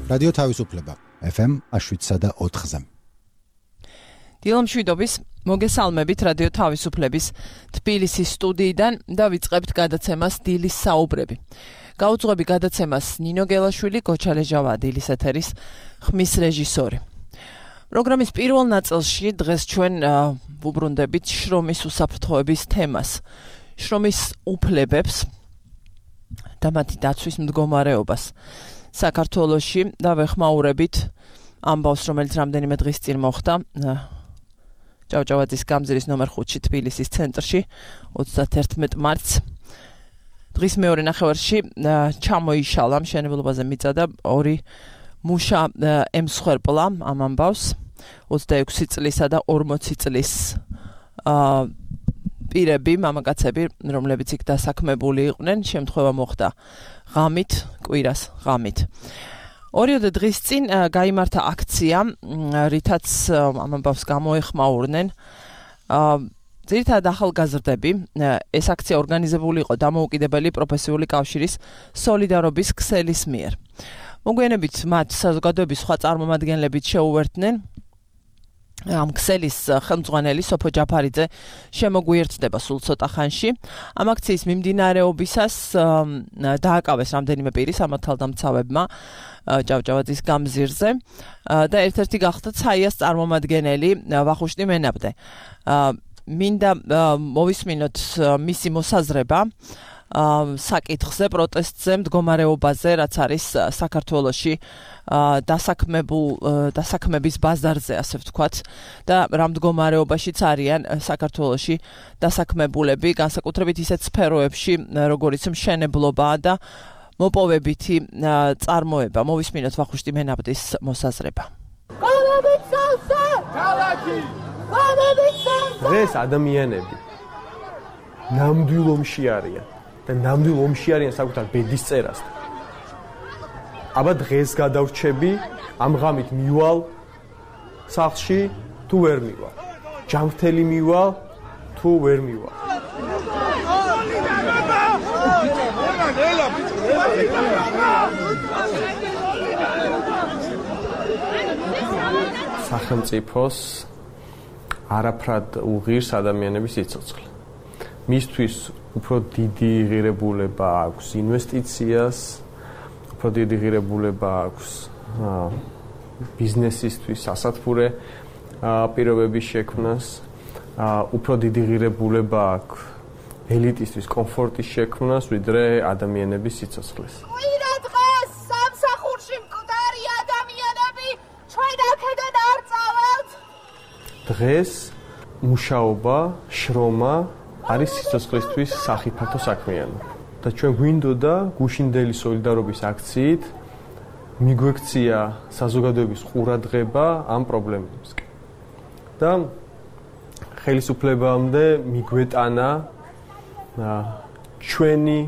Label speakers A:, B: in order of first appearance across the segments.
A: რადიო თავისუფლება FM 7.4-ზე.
B: დილამშვიდობის მოგესალმებით რადიო თავისუფლების თბილისის სტუდიიდან და ვიწყებთ გადაცემას დილის საუბრები. გაუძღვები გადაცემას ნინო გელაშვილი, გოჩალეჟავა დილის ეთერის ხმის რეჟისორი. პროგრამის პირველ ნაწილში დღეს ჩვენ ვუბრუნდებით შრომის უსაფრთხოების თემას. შრომის უფლებებს და მათი დაცვის მდგომარეობას საქართველოში და ვეხმაურებით ამბავს, რომელიც რამდენიმე დღის წინ მოხდა ჭავჭავაძის გამზირის ნომერ 5-ში თბილისის ცენტრში 31 მარტს. დღის მეორე ნახევარში ჩამოიშალა მშენებლობაზე მიწა და 2 მუშა ემსხვერპლა ამ ამბავს 26 წლისა და 40 წლის პირები, მამაკაცები, რომლებიც იქ დასაქმებული იყვნენ, შემთხვევა მოხდა ღამით, კვირას ღამით. ორიოდე დღის წინ გაიმართა აქცია, რითაც ამ ამბავს გამოეხმაურნენ ძირითადად ახალგაზრდები. ეს აქცია ორგანიზებული იყო დამოუკიდებელი პროფესიული კავშირის სოლიდარობის ქსელის მიერ. მოგვიანებით მათ საზოგადოების სხვა წარმომადგენლებიც შეუერთდნენ. ამ ქსელის ხელმძღვანელი სოფო ჯაფარიძე შემოგვიერთდება სულ ცოტა ხანში. ამ აქციის მიმდინარეობისას დააკავეს რამდენიმე პირი სამართალდამცავებმა ჭავჭავაძის გამზირზე და ერთ-ერთი გახდა ცაიას წარმომადგენელი ვახუშტი მენაბდე. მინდა მოვისმინოთ მისი მოსაზრება საკითხზე, პროტესტზე, მდგომარეობაზე, რაც არის საქართველოში დასაქმების ბაზარზე, ასე ვთქვათ, და რა მდგომარეობაშიც არიან საქართველოში დასაქმებულები, განსაკუთრებით ისეთ სფეროებში, როგორიც მშენებლობაა და მოპოვებითი წარმოება. მოვისმინოთ ვახუშტი მენაბდის მოსაზრება.
C: დღეს ადამიანები ნამდვილ ომში არიან და ნამდვილ ომში არიან საკუთარ ბედის წერასთან. აბა დღეს გადავრჩები, ამ ღამით მივალ სახლში თუ ვერ მივალ. ჯანმრთელი მივალ თუ ვერ მივალ. სახელმწიფოს არაფრად უღირს ადამიანების სიცოცხლე. მისთვის უფრო დიდი ღირებულება აქვს ინვესტიციას, უფრო დიდი ღირებულება აქვს ბიზნესისთვის სასათბურე პირობების შექმნას, უფრო დიდი ღირებულება აქვს ელიტისთვის კომფორტის შექმნას, ვიდრე ადამიანების სიცოცხლეს.
D: კვირა დღეს სამსახურში მკვდარი ადამიანები ჩვენ აქედან არ წავალთ.
C: დღეს მუშაობა, შრომა არის სიცოცხლისთვის სახიფათო საქმიანობა. და ჩვენ გვინდოდა გუშინდელი სოლიდარობის აქციით მიგვექცია საზოგადოების ყურადღება ამ პრობლემებისკენ. და ხელისუფლებამდე მიგვეტანა ჩვენი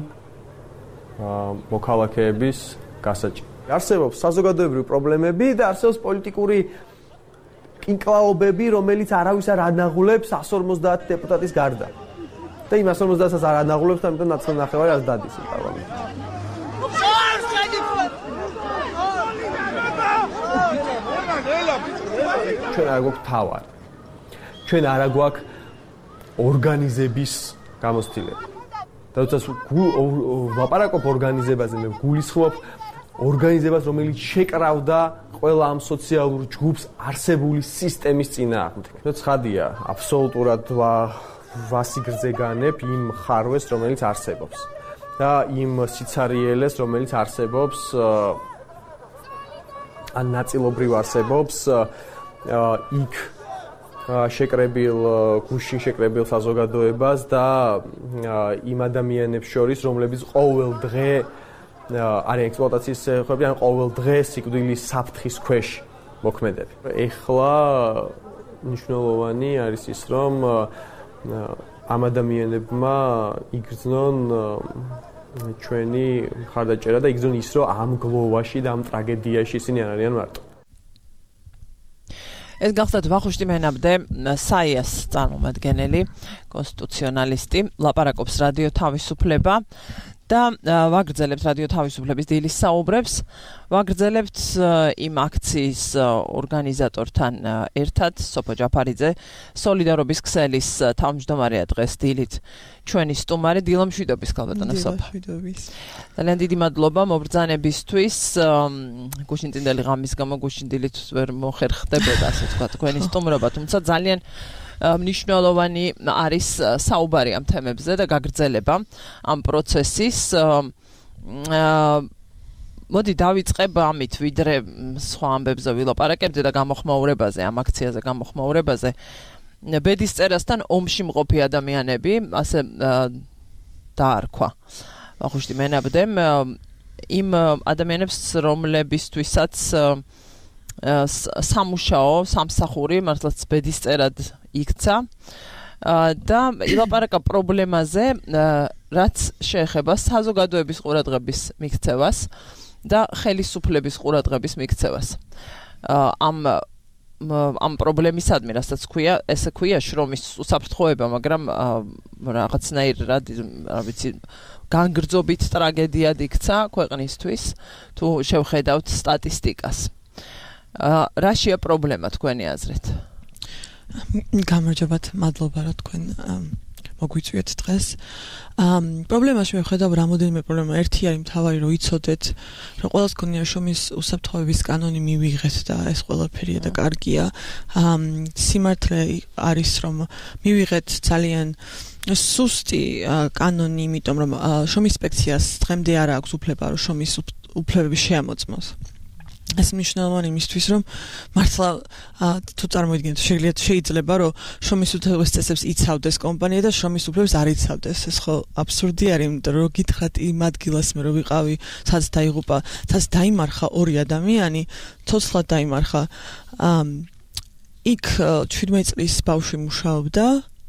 C: მოქალაქეების გასაჭირო. არსებობს საზოგადოებრივი პრობლემები და არსებობს პოლიტიკური კინკლაობები, რომელიც არავის არ ანაღულებს 150 დეპუტატის გარდა. და იმ 150-ს არ ანაღულებს, ამიტომ ნახევარი არ დადის პარლამენტში. ჩვენ არ გვაქვს თავარი. ჩვენ არ გვაქვს ორგანიზების გამოცდილება. და თუნდაც ვაპარაკობ ორგანიზებაზე, მე გულისხმობ ორგანიზებას, რომელიც შეკრავდა ყველა ამ სოციალურ ჯგუფს არსებული სისტემის წინააღმდეგ. ცხადია, აბსოლუტურად ვასიგრძე განებ იმ ხარვეს, რომელიც არსებობს და იმ სიცარიელეს, რომელიც არსებობს ან ნაწილობრივ არსებობს იქ გუშინ შეკრებილ საზოგადოებას და იმ ადამიანებს შორის, რომლებიც ყოველ დღე არიან ექსპლუატაციის ხები, ან ყოველ დღე სიკვდილის საფრთხის ქვეშ მოქმედები. ეხლა მნიშვნელოვანი არის ის, რომ ამ ადამიანებმა იგრძნონ ჩვენი მხარდაჭერა და იგრძნონ ის, რომ ამ გლოვაში და ამ ტრაგედიაში ისინი არ არიან მარტო.
B: ეს გახლავთ ვახუშტი მენაბდე, საიას წარმომადგენელი, კონსტიტუციონალისტი, ლაპარაკობს რადიო თავისუფლება და ვაგრძელებთ რადიო თავისუფლების დილის საუბრებს, ვაგრძელებთ იმ აქციის ორგანიზატორთან ერთად, სოფო ჯაფარიძე, სოლიდარობის ქსელის თავმჯდომარეა დღეს დილით ჩვენი სტუმარი, დილამშვიდობის ქალბატონო სოფო. ძალიან დიდი მადლობა მობრძანებისთვის, გუშინწინდელი ღამის გამო გუშინდილით ვერ მოხერხდებოდა, ასე ვთქვა, თქვენი სტუმრობა, თუმცა ძალიან მნიშვნელოვანი არის საუბარი ამ თემებზე და გაგრძელება ამ პროცესის. მოდი დავიწყებ ამით, ვიდრე სხვა ამბებზე ვილაპარაკებდე და გამოხმაურებაზე, ამ აქციაზე გამოხმაურებაზე. ბედის წერასთან ომში მყოფი ადამიანები, ასე დაარქვა. ვახუშტი მენაბდემ იმ ადამიანებს, რომლებისთვისაც სამუშაო, სამსახური, მართლაც ბედის წერად იქცა და ილაპარაკა პრობლემაზე, რაც შეეხება საზოგადოების ყურადღების მიქცევას და ხელისუფლების ყურადღების მიქცევას. ამ პრობლემისადმი, რასაც ქვია, ესე ქვია შრომის უსაფრთხოება, მაგრამ რაღაცნაირ რა ვიცი, განგრძობით ტრაგედიად იქცა ქვეყნისთვის, თუ შევხედავთ სტატისტიკას. რაშია პრობლემა თქვენი აზრით?
E: გამარჯობათ, მადლობა რა თქვენ მოგვიწვიეთ დღეს. პრობლემაში მე ვხედავ რამოდენიმე პრობლემა. ერთი არის მთავარი, რომ იცოდეთ, რომ ყველას გქონია შრომის უსაფრთხოების კანონი მივიღეთ და ეს ყველაფერია და კარგია. სიმართლე არის, რომ მივიღეთ ძალიან სუსტი კანონი, იმიტომ რომ შრომის ინსპექციას დღემდე არ აქვს უფლება, რომ შრომის უფლებები შეამოწმოს. ეს მნიშვნელოვანი იმისთვის, რომ მართლა თუ წარმოიდგინეთ, შეიძლება რომ შრომის უთანხმოების წესებს იცავდეს კომპანია და შრომის უფლებებს არ იცავდეს. ეს ხო აბსურდი არის, იმიტომ რომ გითხრათ იმ ადგილას მე რო ვიყავი, სადაც დაიღუპა, სადაც დაიმარხა ორი ადამიანი, ცოცხლად დაიმარხა. იქ 17 წლის ბავშვი მუშაობდა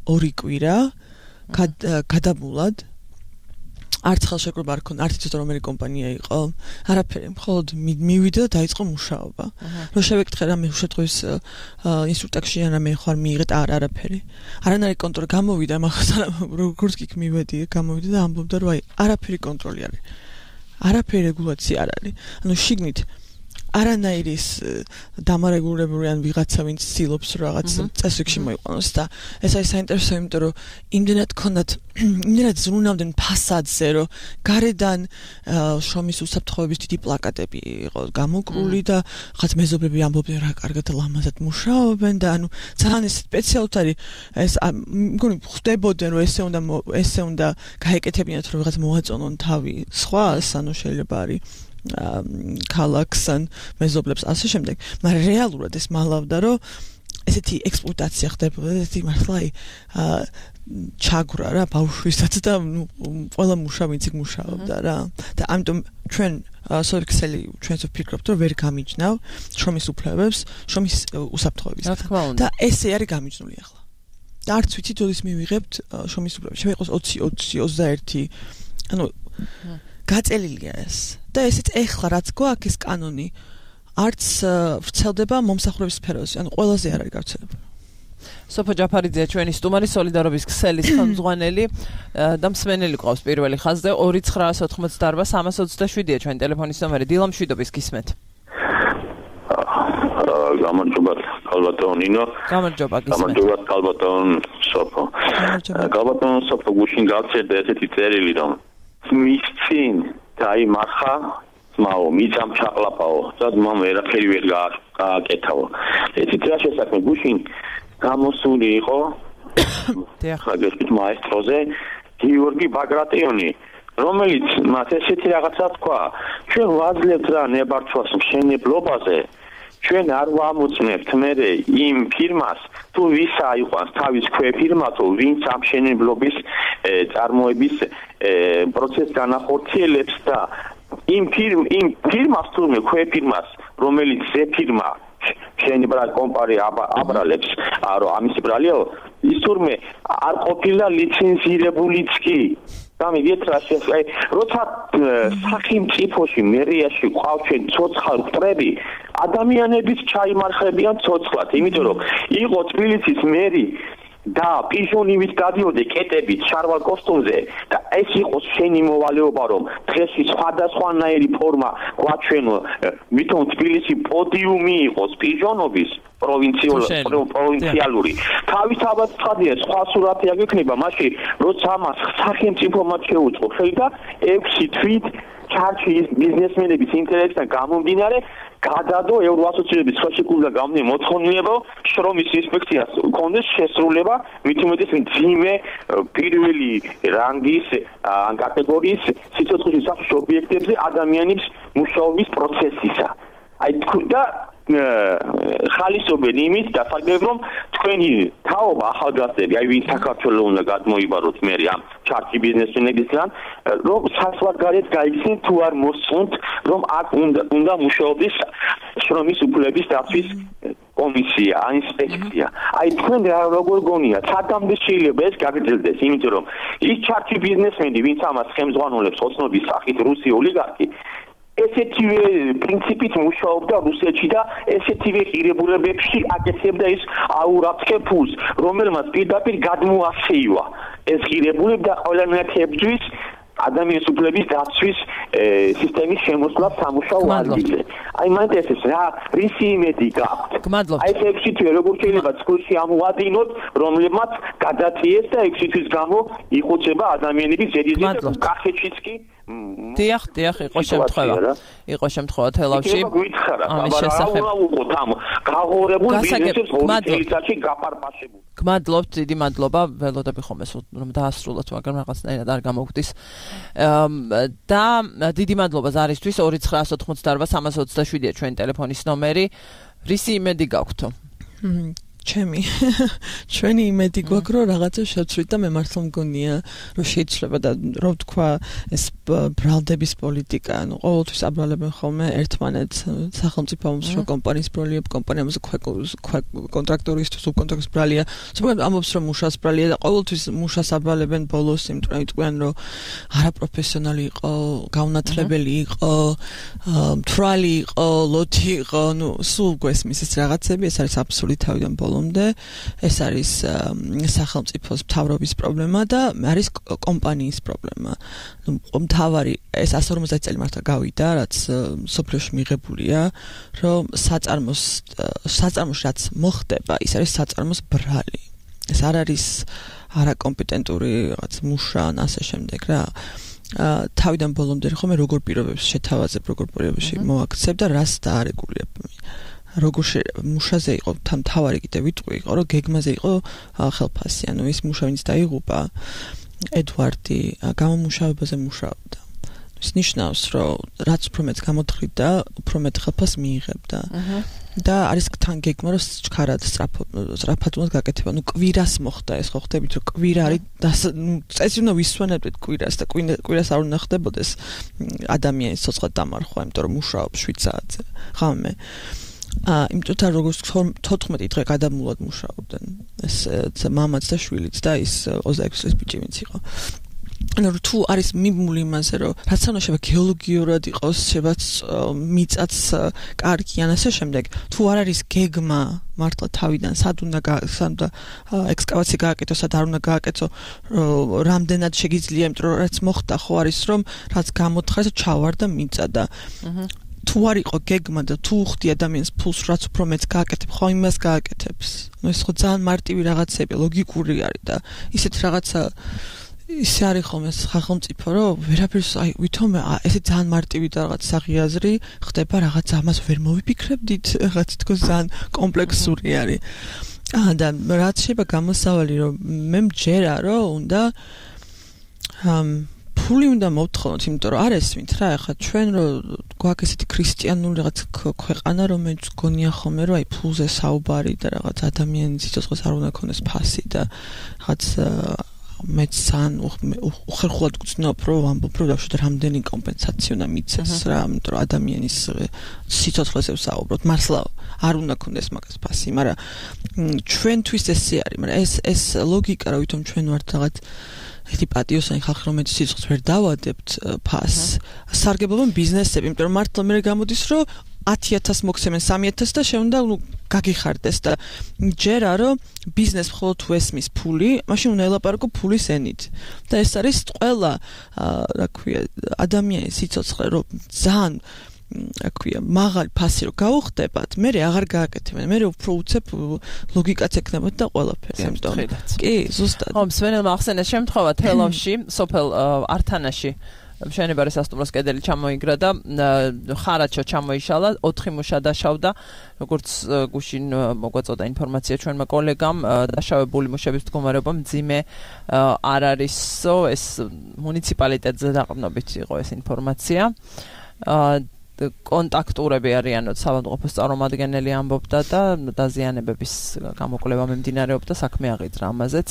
E: 2 კვირა გადამულად. არც ხელშეკრულება არ ქონდა, არც იცოდა რომელი კომპანია იყო. არაფერი, მხოლოდ მივიდა და დაიწყო მუშაობა. რომ შევეკითხე რა მე უშეთხოს ინსტრუქტაკში ან მე ხარ მიიღეთ არაფერი. არანაირი კონტროლი გამოვიდა, მაგრამ როგორც იქ მივედი, გამოვიდა და ამბობდა რომ აი არაფერი კონტროლი არის. არაფერი რეგულაცია არ არის. ანუ შიგნით არანაირი დამარეგულირებული ან ვიღაცა ვინც ცდილობს რაღაც წესრიგში მოიყვანოს და ეს არის საინტერესო, იმიტომ რომ იმდენად ქონდათ იმდენად ზრუნავდნენ ფასადზე, რომ გარედან შრომის უსაფრთხოების დიდი პლაკატები იყო გამოკრული და რაღაც მეზობლები ამბობდნენ რა კარგად ლამაზად მუშაობენ და ანუ ძალიან ეს სპეციალურად არის ეს მგონი ხდებოდნენ რომ ესე უნდა გაეკეთებინათ რომ რაღაც მოაწონონ თავი სხვას, ანუ შეიძლება არის ქალაქს ან მეზობლებს ასე შემდეგ, მაგრამ რეალურად ეს მალავდა რომ ესეთი ექსპლუატაცია ხდებოდა, ესეთი მართლა ჩაგვრა რა ბავშვისაც და ყველა მუშავინც იქ მუშაობდა რა და ამიტომ ჩვენ სოლიქსელი ჩვენს ვფიქრობთ რომ ვერ გამიჯნავ შრომის უფლებებს, შრომის უსაფრთხოების და ესე არის გამიჯნული ახლა და არც ვიცით როდის მივიღებთ შრომის უფლებებს, შემიყოს 20, 21, ანუ გაწელილია ეს და ესეც ეხლა რაც გვაქვს ეს კანონი არც ვრცელდება მომსახურების სფეროზე, ანუ ყველაზე არ არის გავრცელებული.
B: სოფო ჯაფარიძე ჩვენი სტუმარი, სოლიდარობის ქსელის ხელმძღვანელი და მსმენელი ყავს პირველი ხაზზე 2988-327-ია ჩვენი ტელეფონის ნომერი. დილამშვიდობის გისმენთ.
F: გამარჯობა ქალბატონ ნინო.
B: გამარჯობა გისმენთ.
F: გამარჯობა ქალბატონ სოფო. ქალბატონ სოფო გუშინ გავწერდა ესეთი წერილი რომ მის წინ დაიმარხა ძმაო, მიწამ ჩაყლაპაო და ძმამ ვერაფერი ვერ გააკეთაო. ესეთი რა შესაძლოა გუშინ გამოსული იყო ხაგერტ მაესტროზე გიორგი ბაგრატიონი, რომელიც მათ ესეთი რაღაცა თქვა, ჩვენ ვაძლევთ რა ნებართვას მშენებლობაზე, ჩვენ არ ვამოწმებთ მერე იმ ფირმას, თუ ვისა იყვანს თავის ქვეფირმა, თუ ვინც ამ მშენებლობის წარმოების პროცესს განახორციელებს და იმ ფირმას თურმე ქვეფირმას, რომელიც ზეფირმა მშენებლად კომპანია აბრალებს, რომ ამის ბრალიო, ის თურმე არ ყოფილა ლიცენზირებულიც კი. გამიგეთ რა შეიძლება, როცა სახელმწიფოში მერიაში ყავს ჩვენ ცოცხალ მტრები, ადამიანებიც ჩაიმარხებიან ცოცხლად, იმიტომ რომ იყო თბილისის მერი და პიჟონივით გადიოდე კეტებით შარვალ კოსტუმზე და ეს იყოს შენი მოვალეობა რომ დღეს სხვადასხვანაირი ფორმა გვაჩვენო მithon თბილისი პოდიუმი იყოს პიჟონობის პროვინციალური თავისთავად ცხადია სხვა სურათი აღიქმნება მაშინ როცა ამას სახელმწიფო მათ შეუწყო ხელდა 6 თვით ჩარჩი ბიზნესმენების ინტერესთან გამომდინარე გადადო ევროასოციაციების ხელშეკრულება გამომდინარე მოთხოვნილება შრომის ინსპექციას კონდეს შესრულება მით უმეტეს მძიმე პირველი რანგის ან კატეგორიის სიცოცხლის სახში ობიექტებზე ადამიანის მუშაობის პროცესისა აი და ხალისობენ იმით დასაგებ რომ თქვენი თაობა ახალგაზრდები აი ვინ საქართველოს უნდა გადმოიბაროთ მე ამ ჩარტი ბიზნესმენებისგან რომ საზღვარგარეთ გაიქცნენ თუ არ მოსწონთ რომ აქ უნდა მუშაობის შრომის უფლების დაცვის კომისია ინსპექცია აი თქვენ როგორ გონიათ სადამდე შეიძლება ეს გაგრძელდეს იმიტომ რომ ის ჩარტი ბიზნესმენი ვინც ამას ხელმძღვანელობს ოცნობის სახით რუსი ოლიგარქი ესეთივე პრინციპით მუშაობდა რუსეთში და ესეთივე ღირებულებებში აკეთებდა ის აურაფსკე ფულს, რომელმაც პირდაპირ გადმოასეივა ეს ღირებულება და ყველანაირად ადამიანის უფლების დაცვის სისტემის შემოსვლა სამუშაო ადგილზე. აი მანდ ეს რა რისი იმედი გაქვთ? აი ეს 6 თვე როგორ შეიძლება წყვილში ამოვადინოთ, რომლებმაც გადაწიეს და 6 თვის გამო იხოცება ადამიანების ზედიზედ კახეთშიც კი
B: დიახ, იყო შემთხვევა თელავში. ამის შესახებ
F: გაღორებულ ბიზნესებს ორთელიცაში გაპარპაშებული.
B: გმადლობთ, დიდი მადლობა, ველოდები ხომ ეს რომ დაასრულოთ, მაგრამ რაღაცნაირად არ გამოგვდის. და დიდი მადლობა ზარისთვის 2988327-ია ჩვენი ტელეფონის ნომერი. რისი იმედი გაქვთ?
E: ჩვენი იმედი გვაქვს რომ რაღაცა შევცვლით და მე მართლა მგონია რომ შეიძლება და რომ თქვა ეს ბრალდების პოლიტიკა ანუ ყოველთვის აბრალებენ ხოლმე ერთმანეთს სახელმწიფო მომსრო კომპანიის ბრალია კომპანიამზე კონტრაქტორის თუ სუბკონტრაქტორის ბრალია ზოგადად ამბობს რომ მუშას ბრალია და ყოველთვის მუშას აბრალებენ ბოლოს იმიტომ რომ იტყვიან რომ არაპროფესიონალი იყო გაუნათლებელი იყო მთვრალი იყო ლოთი იყო ნუ სულ გვესმის ეს რაღაცები ეს არის აბსოლუტი თავიდან ეს არის სახელმწიფოს მთავრობის პრობლემა და არის კომპანიის პრობლემა. მთავარი ეს 150 წელი მართლა გავიდა, რაც სოფლიოში მიღებულია, რომ საწარმოში რაც მოხდება, ის არის საწარმოს ბრალი. ეს არ არის არაკომპეტენტური რაღაც მუშა ან ასე შემდეგ რა. თავიდან ბოლომდე ხომ როგორ პირობებს შეთავაზებ, როგორ პირობებში მოაქცევ და რას დაარეგულებ. როგორ მუშაზე იყო თავარი კიდე ვიტყვი იყო რომ გეგმაზე იყო ხელფასი ანუ ის მუშა ვინც დაიღუპა ედვარდი გამომუშავებაზე მუშაობდა ის ნიშნავს რომ რაც უფრო მეტ გამოთხრიდა უფრო მეტ ხელფასს მიიღებდა და არის თან გეგმა რომ ჩქარად სწრაფად უნდა გაკეთება ნუ კვირას მოხდა ეს ხო ხდებით რომ კვირა არის წესი უნდა ვისვენებდეთ კვირას და კვირას არ უნდა ხდებოდეს ადამიანის ცოცხლად დამარხვა იმიტომ რომ მუშაობს 7 საათზე ღამე იმიტომ როგორც 14 დღე გადამულად მუშაობდნენ ეს მამაც და შვილიც და ის 26 წლის ბიჭი ვინც იყო ანუ თუ არის მიმული იმაზე რომ რაც უნდა შეიძლება გეოლოგიურად იყოს შეიძლება მიწაც კარგი ან ასე შემდეგ თუ არ არის გეგმა მართლა თავიდან სად უნდა ექსკავაცია გააკეთოს სად არ უნდა გააკეთო რამდენად შეგიძლია იმიტომ რომ რაც მოხდა ხო არის რომ რაც გამოთხარს ჩავარდა მიწა და თუ არ იყო გეგმა და თუ ხდი ადამიანს ფულს რაც უფრო მეც გააკეთებ ხო იმას გააკეთებს ნუ ეს ხო ძალიან მარტივი რაღაცები ლოგიკური არის და ისეთ რაღაცა ისე არის ხოლმე სახელმწიფო რომ ვერაფერს აი ვითომ ესე ძალიან მარტივი და რაღაც საღიაზრი ხდება რაღაც ამას ვერ მოვიფიქრებდით რაღაც თქოს ძალიან კომპლექსური არის და რაც შეიძლება გამოსავალი რომ მე მჯერა რომ უნდა ფული უნდა მოვთხოვოთ, იმიტომ რომ არ ესმით რა, ახლა ჩვენ რომ გვაქვს ესეთი ქრისტიანული რაღაც ქვეყანა, რომელიც გონია ხოლმე რომ აი ფულზე საუბარი და რაღაც ადამიანის სიცოცხლეს არ უნდა ქონდეს ფასი და რაღაც მეც ძალიან უხერხულად გწნობ რომ ამბობ რომ დავშვათ რამდენი კომპენსაცია უნდა მიცეს რა, იმიტომ რომ ადამიანის სიცოცხლეზე ვსაუბრობთ, მართლა არ უნდა ქონდეს მაგას ფასი, მაგრამ ჩვენთვის ესე არის, მაგრამ ეს ლოგიკა რა ვითომ ჩვენ ვართ რაღაც ერთი პატიოსანი ხალხი რომელიც სიცოცხლეს ვერ დავადებთ ფასს სარგებლობენ ბიზნესები იმიტომ რომ მართლა მე გამოდის რომ 10,000 მოქცემენ 3,000 და შეუნდა გაგიხარდეს და ჯერა რომ ბიზნეს მხოლოდ თუ ესმის ფული, მაშინ უნდა ელაპარაკო ფულის ენით. და ეს არის ყველა რა ქვია ადამიანის სიცოცხლე რომ ძალიან რა ქვია მაღალი ფასი რომ გაუხდებათ, მე აღარ გააკეთებენ. მე უფრო უცებ ლოგიკაც ექნებათ და ყველაფერი. ამიტომ კი, ზუსტად.
B: ხო, მსმენელმა ახსენეს შემთხვევა თელავში, სოფელ ართანაში მშენებარე სასტუმროს კედელი ჩამოიგრა და ხარაჩო ჩამოიშალა, 4 მუშა დაშავდა, როგორც გუშინ მოგვაწოდა ინფორმაცია ჩვენმა კოლეგამ, დაშავებული მუშების მდგომარეობა მძიმე არ არისო, ეს მუნიციპალიტეტზე დაყრდნობით იყო ეს ინფორმაცია. კონტაქტურები არიანო საავადმყოფოს წარმომადგენელი ამბობდა და დაზიანებების გამოკვლევა მიმდინარეობდა, საქმე აღიძრა ამაზეც.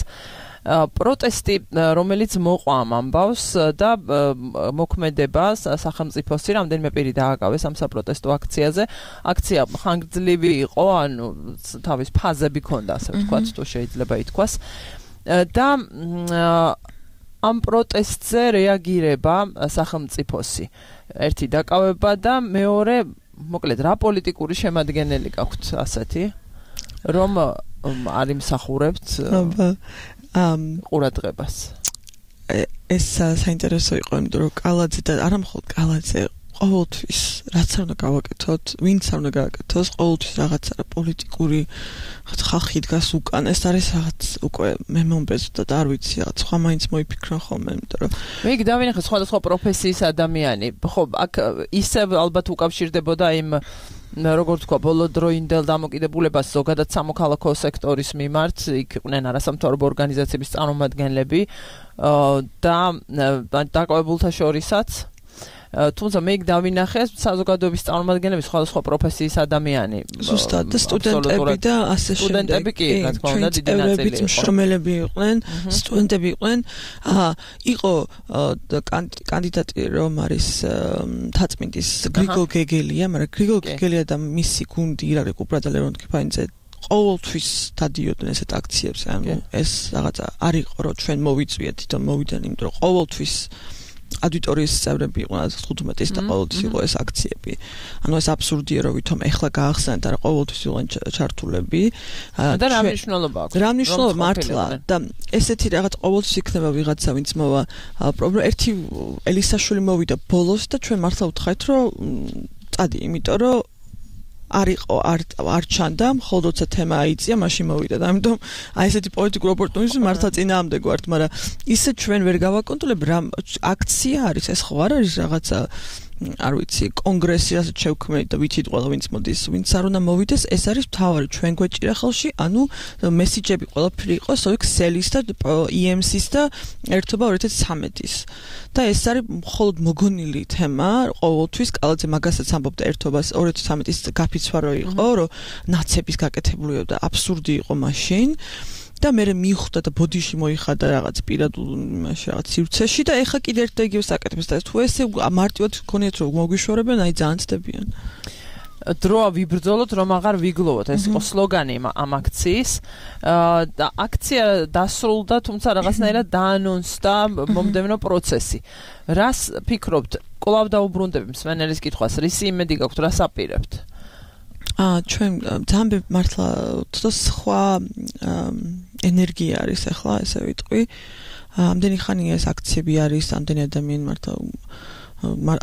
B: პროტესტი, რომელიც მოყვა ამ ამბავს და მოქმედება სახელმწიფოსი რამდენიმე პირი დააკავეს ამ საპროტესტო აქციაზე. აქცია ხანგრძლივი იყო, ანუ თავის ფაზები ჰქონდა, ასე ვთქვათ, თუ შეიძლება ითქვას. და ამ პროტესტზე რეაგირება სახელმწიფოსი. ერთი დაკავება და მეორე, მოკლედ, რა პოლიტიკური შემადგენელი გაქვთ ასეთი, რომ არ იმსახურებთ ყურადღებას.
E: ეს საინტერესო იყო, იმიტომ რომ კალაძე და არა მხოლოდ კალაძე ყოველთვის რაც არ უნდა გავაკეთოთ, ვინც არ უნდა გააკეთოს, ყოველთვის რაღაცა პოლიტიკური ხალხი დგას უკან. ეს არის რაღაც უკვე მე მომბეზრდა და არ ვიცი, რაღაც სხვა მაინც მოიფიქრა ხოლმე, იმიტომ რომ
B: მე იქ დავინახე სხვადასხვა პროფესიის ადამიანი. ხო, აქ ისევ ალბათ უკავშირდებოდა იმ როგორც თქვა, ბოლოდროინდელ დამოკიდებულებას ზოგადად სამოქალაქო სექტორის მიმართ, იქ იყვნენ არასამთავრობო ორგანიზაციების წარმომადგენლები და დაკავებულთა შორისაც. თუმცა მე იქ დავინახე საზოგადოების წარმომადგენლები, სხვადასხვა პროფესიის ადამიანი.
E: ზუსტად და სტუდენტები და ასე შემდეგ.
B: სტუდენტები კი, რა თქმა უნდა, დიდი ნაწილი იყო.
E: მშრომელები იყვნენ, სტუდენტები იყვნენ. იყო კანდიდატი რომ არის თაწმინდის გრიგოლ გეგელია, მაგრამ გრიგოლ გეგელია და მისი გუნდი ირაკლი კუპრაძე ლევონ კიფანიძე ყოველთვის დადიოდნენ ესეთ აქციებს. ანუ ეს რაღაცა არ იყო რომ ჩვენ მოვიწვიეთ, თვითონ მოვიდნენ, იმიტომ რომ ყოველთვის აუდიტორიის წევრები იყვნენ 15 და ყოველთვის იყო ეს აქციები. ანუ ეს აბსურდია რომ ვითომ ეხლა გაახსენეთ და ყოველთვის იყვნენ ჩართულები.
B: და რა მნიშვნელობა აქვს?
E: რა მნიშვნელობა მართლა და ესეთი რაღაც ყოველთვის იქნება ვიღაცა ვინც მოვა. ერთი ელისაშვილი მოვიდა ბოლოს და ჩვენ მართლა ვთხარით რომ წადი, იმიტომ რომ არ ჩანდა, მხოლოდ როცა თემა აიწია, მაშინ მოვიდა და ამიტომ აი ესეთი პოლიტიკური ოპორტუნიზმი მართლა წინააღმდეგ ვართ, მაგრამ ისე ჩვენ ვერ გავაკონტროლებთ რა აქცია არის, ეს ხო არ არის რაღაცა არ ვიცი, კონგრესი რასაც შევქმნით და ვიცით ყველა ვინც მოდის, ვინც არ უნდა მოვიდეს, ეს არის მთავარი ჩვენ გვეჭირა ხელში, ანუ მესიჯები ყველაფერი იყოს ოიქ სელის და EMC-ის და ერთობა 2013-ის. და ეს არის მხოლოდ მოგონილი თემა, ყოველთვის კალაძე მაგასაც ამბობდა ერთობას 2013-ის გაფიცვარო იყო, რომ ნაცების გაკეთებულიო და აბსურდი იყო მაშინ. და მე მივხვდა და ბოდიში მოიხადა რაღაც პირად იმაში რაღაც სივრცეში და ეხა კიდე ერთ და იგივე საკეთებს და თუ ესე მარტივად გქონიათ რომ მოგვიშორებენ, აი ძალიან ცდებიან.
B: დროა ვიბრძოლოთ რომ აღარ ვიგლოვოთ, ეს იყო სლოგანი ამ აქციის და აქცია დასრულდა, თუმცა რაღაცნაირად დაანონსდა მომდევნო პროცესი. რას ფიქრობთ? კვლავ დაუბრუნდები მსმენელის კითხვას, რისი იმედი გაქვთ, რას აპირებთ?
E: ჩვენ ძალიან მართლა სხვა ენერგია არის ახლა ესე ვიტყვი. ამდენი ხანი ეს აქციები არის, ამდენი ადამიანი მართლა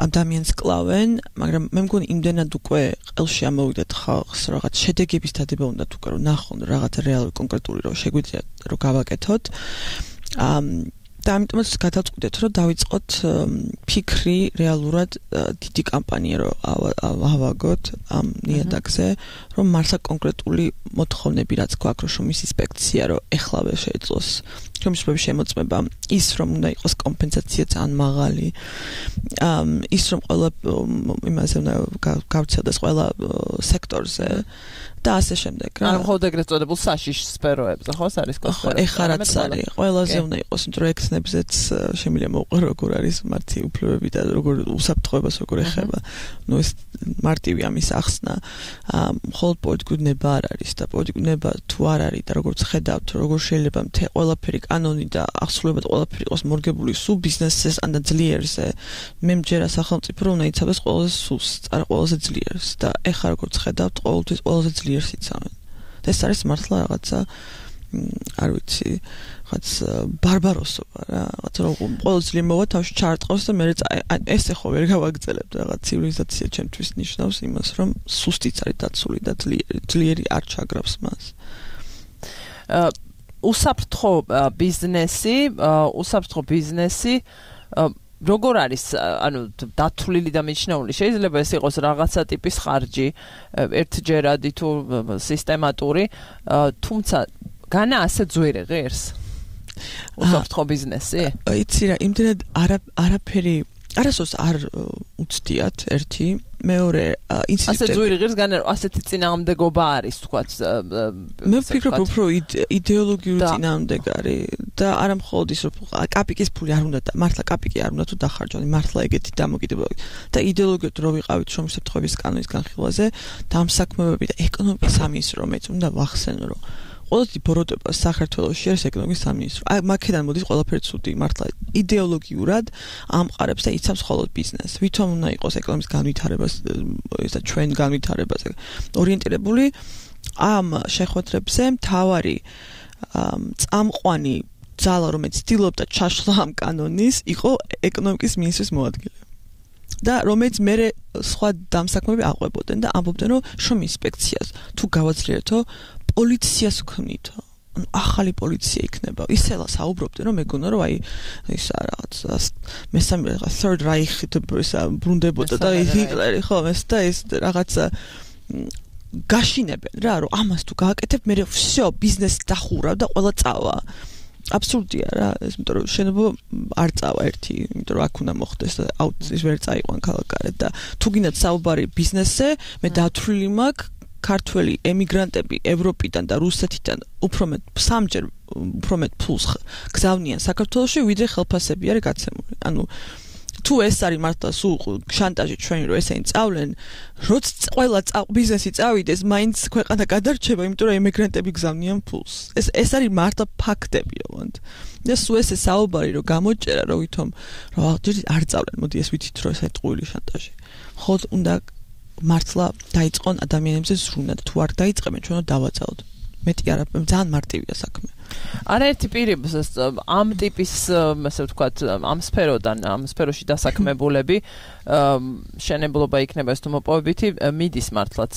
E: ადამიანს კლავენ, მაგრამ მე მგონი იმდენად უკვე ყელში ამოვიდათ ხალხს, რაღაც შედეგების დადება უნდათ უკვე რომ ნახონ რაღაც რეალური კონკრეტული რომ შეგვიძლია რომ გავაკეთოთ. და ამიტომაც გადავწყვიტეთ რომ დავიწყოთ ფიქრი რეალურად დიდი კამპანია რომ ავაგოთ ამ ნიადაგზე, რომ მართლა კონკრეტული მოთხოვნები რაც გვაქვს რომ შრომის ინსპექცია რომ ეხლავე შეეძლოს შრომის შემოწმება, ის რომ უნდა იყოს კომპენსაცია ძალიან მაღალი, ის რომ ყველა იმაზე უნდა გავრცელდეს ყველა სექტორზე და ასე შემდეგ რა.
B: ანუ მხოლოდ ეგრეთ წოდებულ საშიშ სფეროებზე ხო არის
E: კოსფეროები? ეხლა რაც არის, ყველაზე უნდა იყოს, იმიტომ რომ ექნებზეც შემიძლია მოუყო როგორ არის მათი უფლებები და როგორ უსაფრთხოებას როგორ ეხება. ნუ ეს მარტივი ამის ახსნა მხოლოდ პოლიტიკური ნება არ არის და პოლიტიკური ნება თუ არ არის და როგორც ხედავთ, როგორ შეიძლება ყველაფერი კანონი და აღსრულებად ყველაფერი იყოს მორგებული სულ ბიზნესის ან და ძლიერზე. მე მჯერა სახელმწიფო რომ უნდა იცავდეს ყველაზე სულს, არა ყველაზე ძლიერს და ეხლა როგორც ხედავთ, ყოველთვის ყველაზე ძლიერს იცავენ. და ეს არის მართლა რაღაცა არ ვიცი, რაღაც ბარბაროსობა რა, რაღაც რომ ყოველ ძლიერ მოვა თავში ჩაარტყავს და მე ეს ხო ვერ გავაგრძელებ რაღაც ცივილიზაცია ჩემთვის ნიშნავს იმას, რომ სუსტიც არის დაცული და ძლიერი არ ჩაგრავს მას.
B: უსაფრთხო ბიზნესი როგორ არის, ანუ დათვლილი და მიჩნეული, შეიძლება ეს იყოს რაღაცა ტიპის ხარჯი, ერთჯერადი თუ სისტემატური, თუმცა განა ასე ძვირი ღირს უსაფრთხო ბიზნესი?
E: იცი რა, იმდენად არაფერი არასოს არ უცდიათ ერთი, მეორე ინციდენტი.
B: ასე ძვირი ღირს განა ასეთი წინააღმდეგობა არის, თქვათ.
E: მე ვფიქრობ უფრო იდეოლოგიური წინააღმდეგობა არის და არა მხოლოდ ის რომ კაპიკის ფული არ უნდა და მართლა კაპიკი არ უნდა თუ დახარჯონ, მართლა ეგეთი დამოკიდებულება და იდეოლოგიად რო ვიყავით შრომის საფრთხეების კანონის განხილვაზე და ამ საქმეები და ეკონომიკის სამინისტრო რომელიც უნდა ვახსენო რომ ყოველთვის ბოროტება საქართველოში არის ეკონომიკის სამინისტრო. აი მაქედან მოდის ყველაფერი ცუდი, მართლა იდეოლოგიურად ამყარებს და იცავს მხოლოდ ბიზნესს. ვითომ უნდა იყოს ეკონომიკის განვითარებას ესა ჩვენ განვითარებაზე ორიენტირებული ამ შეხვედრებზე მთავარი წამყვანი ძალა რომელიც ცდილობდა ჩაშლა ამ კანონის იყო ეკონომიკის მინისტრის მოადგილე. და რომელიც მე სხვა დამსაქმები აყვებოდნენ და ამბობდნენ რომ შრომის ინსპექციას თუ გავაძლიერეთო პოლიციას ვქმნითო. ახალი პოლიცია იქნება. ისელა საუბრობდნენ რომ მეგონა რომ აი ისა რაღაც მესამე რაღაც Third Reich ბრუნდებოდა და ჰიტლერი ხო ეს და ეს რაღაცა გაშინებენ რა რომ ამას თუ გააკეთებ მე всё ბიზნესი დახურა და ყველა წავა. აბსურდია რა, იმიტომ რომ შენობა არ წავა ერთი, იმიტომ რომ აქ უნდა მოხდეს და ის ვერ წაიყვან ქალაქარეთ და თუ გინდათ საუბარი ბიზნესზე, მე დათვლილი მაქვს ქართველი ემიგრანტები ევროპიდან და რუსეთიდან უფრო მეტ ფულს გზავნიან საქართველოში, ვიდრე ხელფასები არის გაცემული. ანუ თუ ეს არის მართლა სულ შანტაჟი ჩვენი რომ ესენი წავლენ, როც ყველა ბიზნესი წავიდეს, მაინც ქვეყანა გადარჩება, იმიტომ რომ ემიგრანტები გზავნიან ფულს. ეს არის მართლა ფაქტები, ოღონდ. და სულ ესე საუბარი რომ გამოჭერა, რომ ვითომ რომ არ წავლენ, მოდი ეს ვიცით რომ ესეთი ტყუილი შანტაჟი. ხოლმე უნდა მართლა დაიწყონ ადამიანებზე ზრუნა და თუ არ დაიწყებენ, ჩვენ უნდა დავაწაოთ. მეტი არა, ძალიან მარტივია საქმე.
B: არაერთი პირი ამ ტიპის, ასე ვთქვათ, ამ სფეროში დასაქმებულები, შენებლობა იქნება ეს თუ მოპოვებითი, მიდის მართლაც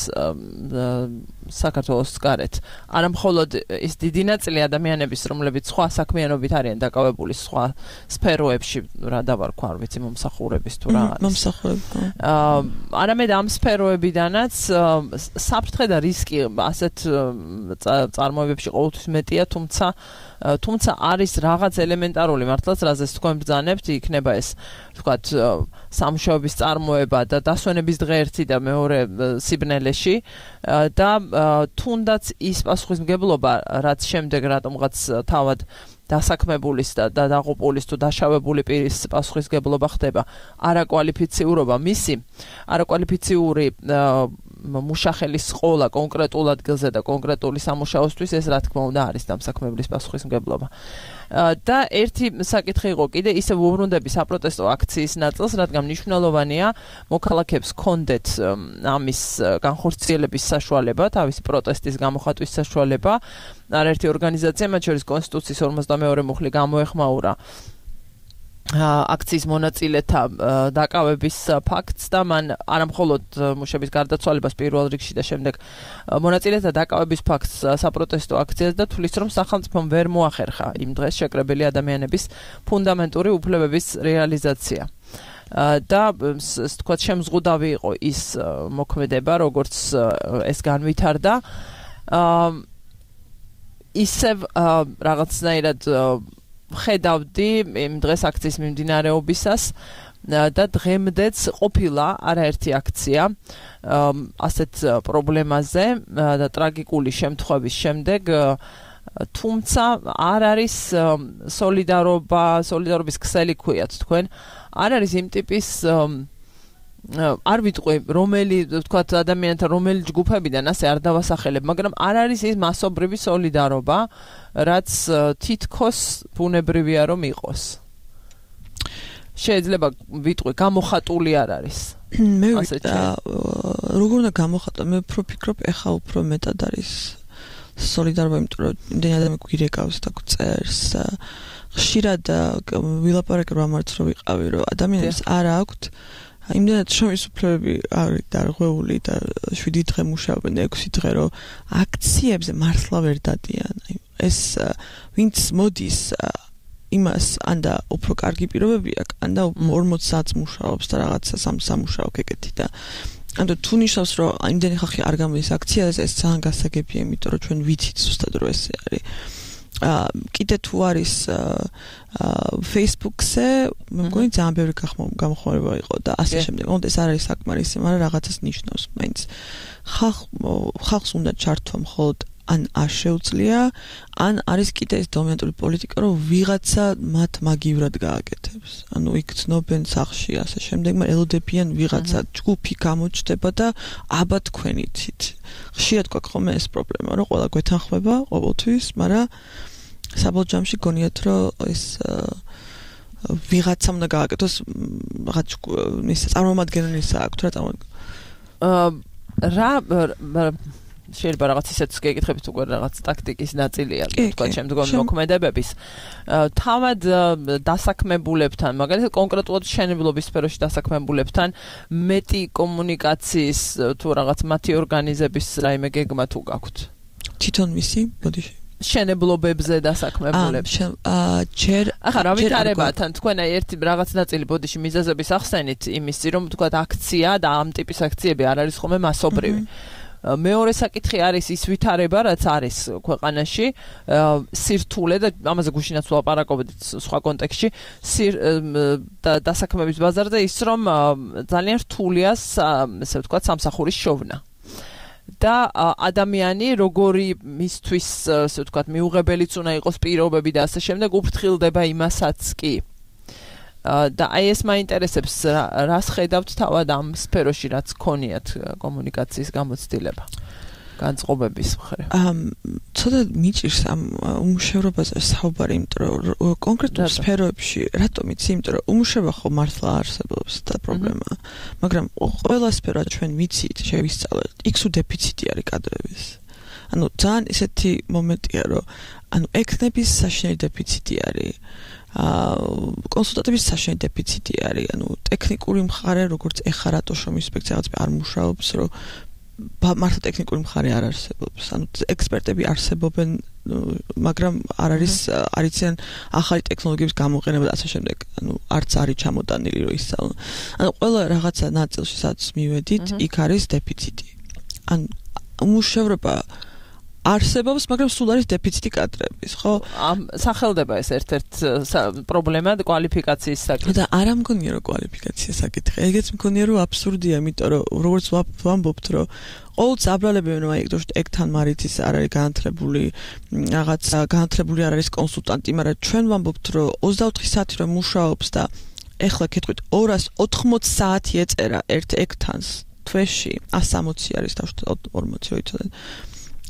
B: საქართველოს გარეთ. არა მხოლოდ ის დიდი ნაწილი ადამიანების, რომლებიც სხვა საქმიანობით არიან დაკავებული სხვა სფეროებში, რა დავარქვა, არ ვიცი, მომსახურების თუ რა არის.
E: მომსახურები.
B: არამედ ამ სფეროებიდანაც საფრთხე და რისკი ასეთ წარმოებებში ყოველთვის მეტია, თუმცა არის რაღაც ელემენტარული მართლაც, რაზეც თქვენ ბრძანებთ, იქნება ეს, ვთქვათ, სამუშაოების წარმოება და დასვენების დღე ერთი და მეორე სიბნელეში და თუნდაც ის პასუხისმგებლობა, რაც შემდეგ რატომღაც თავად დასაქმებულის და დაღუპულის თუ დაშავებული პირის პასუხისმგებლობა ხდება, არაკვალიფიციურობა მისი, არაკვალიფიციური მუშახელის ყოლა კონკრეტულ ადგილზე და კონკრეტული სამუშაოსთვის ეს რა თქმა უნდა არის დამსაქმებლის პასუხისმგებლობა. და ერთი საკითხი იყო კიდე ისე უბრუნდები საპროტესტო აქციის ნაწილს, რადგან მნიშვნელოვანია მოქალაქეებს ჰქონდეთ ამის განხორციელების საშუალება, თავისი პროტესტის გამოხატვის საშუალება. არაერთი ორგანიზაცია, მათ შორის კონსტიტუციის 52 მუხლი გამოეხმაურა აქციის მონაწილეთა დაკავების ფაქტს და მან არამხოლოდ მუშების გარდაცვალებას პირველ რიგში და შემდეგ მონაწილეთა დაკავების ფაქტს საპროტესტო აქციას და თulis რომ სახელმწიფომ ვერ მოახერხა იმ დღეს შეკრებილი ადამიანების ფუნდამენტური უფლებების რეალიზაცია. და თქვა შემზღუდავი იყო ის მოქმედება, როგორც ეს განვითარდა. ისევ რაღაცნაირად ხედავდი იმ დღეს აქციის მიმდინარეობისას, და დღემდეც ყოფილა არაერთი აქცია ასეთ პრობლემაზე და ტრაგიკული შემთხვევის შემდეგ თუმცა არ არის სოლიდარობის ქსელი ქვიათ თქვენ არ არის იმ ტიპის არ ვიტყვი რომელი თქვათ ადამიანთა რომელი ჯგუფებიდან ასე არ დავასახელებ მაგრამ არ არის ის მასობრივი სოლიდარობა რაც თითქოს ბუნებრივია რომ იყოს შეიძლება ვიტყვი გამოხატული არ არის
E: მე როგორ უნდა გამოხატო მე უფრო ვფიქრობ ეხა უფრო მეტად არის სოლიდარობა იმიტომ რომ იმდენი ადამიანი გვირეკავს და გვწერს ხშირად ვილაპარაკე რომ ამარც რო ვიყავი რომ ადამიანებს არ აქვთ იმდენად შრომის უფლებები არის დარღვეული და 7 დღე მუშაობენ და 6 დღე რომ აქციებზე მართლა ვერ დადიან ეს ვინც მოდის იმას ანდა უფრო კარგი პირობები აქვს ანდა 40 საათს მუშაობს და რაღაცა სამუშაო კეკეთი და ანუ თუ ნიშნავს რომ იმდენი ხალხი არ გამოდის აქციაზე ეს ძალიან გასაგებია იმიტომ რომ ჩვენ ვიცით ზუსტად რომ ესე არის კიდე თუ არის Facebook-ზე მე მგონი ძალიან ბევრი გამოხმარება იყო და ასე შემდეგ. ოღონდ ეს არ არის საკმარისი, მაგრამ რაღაცას ნიშნავს მაინც. ხალხს უნდა ჩართვა მხოლოდ ან არ შეუძლია, ან არის კიდე ეს დომინანტური პოლიტიკა, რომ ვიღაცა მათ მაგივრად გააკეთებს. ანუ იქ ცნობენ სახში ასე შემდეგ, მაგრამ ელოდებიან ვიღაცა ჯგუფი გამოჩნდება და აბა თქვენიცით. ხშირად გვაქვს ხოლმე ეს პრობლემა, რომ ყველა გვეთანხმება ყოველთვის, მაგრამ საბოლოო ჯამში გონიათ რომ ეს ვიღაცამ უნდა გააკეთოს რაღაც ის წარმომადგენელისა აქვს რა რა შეიძლება რაღაც ისეთ გეკითხებით უკვე რაღაც ტაქტიკის ნაწილია თქვა შემდგომი მოქმედებების თავად დასაქმებულებთან მაგალითად კონკრეტულად მშენებლობის სფეროში დასაქმებულებთან მეტი კომუნიკაციის თუ რაღაც მათი ორგანიზების რაიმე გეგმა თუ გაქვთ თვითონ მისი ბოდიში
B: შენებლობებზე დასაქმებულებს. ახლა რა ვითარებათან თქვენ ერთი რაღაც ნაწილი ბოდიში მიზეზების ახსენით იმისი რომ თქვა აქცია და ამ ტიპის აქციები არ არის ხოლმე მასობრივი. მეორე საკითხი არის ის ვითარება რაც არის ქვეყანაში სირთულე და ამაზე გუშინაც ვლაპარაკობდით სხვა კონტექსტში დასაქმების ბაზარზე ის რომ ძალიან რთულია ესე ვთქვათ სამსახურის შოვნა. და ადამიანი როგორი მისთვის ასე ვთქვათ მიუღებელიც უნდა იყოს პირობები და ასე შემდეგ უფრთხილდება იმასაც კი და აი ეს მაინტერესებს რას ხედავთ თავად ამ სფეროში რაც ქონიათ კომუნიკაციის გამოცდილება განწყობების მხრივ
E: ცოტა მიჭირს ამ უმუშევრობაზე საუბარი იმიტომ რომ კონკრეტულ სფეროებში რატომ იცი იმიტომ რომ უმუშევრობა ხო მართლა არსებობს და პრობლემა მაგრამ ყველა სფერო ჩვენ ვიცით შევისწავლეთ იქ დეფიციტი არის კადრების ანუ ძალიან ისეთი მომენტია რომ ანუ ექნების საშინელი დეფიციტი არის კონსულტატების საშინელი დეფიციტი არის ანუ ტექნიკური მხარე როგორც ეხა რატო შრომის ინსპექცია რაღაც არ მუშაობს რომ მართლა ტექნიკური მხარე არ არსებობს. ანუ ექსპერტები არსებობენ, მაგრამ არ არიციან ახალი ტექნოლოგიების გამოყენება და ასე შემდეგ. ანუ არც არის ჩამოტანილი რომ ისწავლონ. ანუ ყველა რაღაცა ნაწილში სადაც მივედით, იქ არის დეფიციტი. ანუ უმუშევრობა არსებობს, მაგრამ სულ არის დეფიციტი კადრების, ხო?
B: სახელდება ეს ერთ-ერთ პრობლემა კვალიფიკაციის საკითხი.
E: და არ ამგონია რომ კვალიფიკაციის საკითხი. ეგეც მგონია რომ აბსურდია, იმიტომ რომ როგორც ვამბობთ, რომ ყოველთვის აბრალებენ რომ აი ეგ თან მარითის არ არის განათლებული, რაღაც განათლებული არ არის კონსულტანტი, მაგრამ ჩვენ ვამბობთ რომ 24 საათი რომ მუშაობს და ეხლა კეთყვით 280 საათი ეწერა ერთ ეგთანს თვეში 160 არის დავშოთ 40 ვიცოდეთ.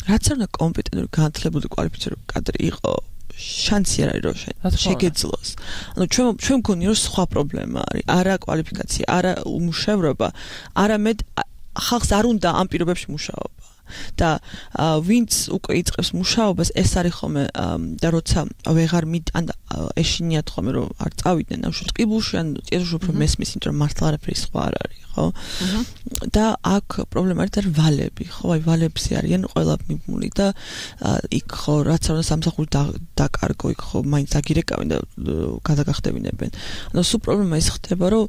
E: რაც არ უნდა კომპეტენტური განათლებული კვალიფიცირებული კადრი იყო შანსი არ არის რომ შეგეძლოს. ანუ ჩვენ მგონია რომ სხვა პრობლემა არის, არა კვალიფიკაცია, არა უმუშევრობა, არამედ ხალხს არ უნდა ამ პირობებში მუშაობა. და ვინც უკვე იწყებს მუშაობას, ეს არის ხოლმე და როცა ვეღარ ან ეშინიათ ხოლმე რომ არ წავიდნენ ამ შეტყიბულში, ან წესში უფრო მესმის, იმიტომ რომ მართლა არაფერი სხვა არ არის, ხო? და აქ პრობლემა არის და ვალები, ხო? აი ვალებზე არიან ყველა მიმული და იქ ხო რაც არ უნდა სამსახური დაკარგო, იქ ხო მაინც აგირეკავენ და გადაგახდებინებენ. ანუ სულ პრობლემა ის ხდება, რომ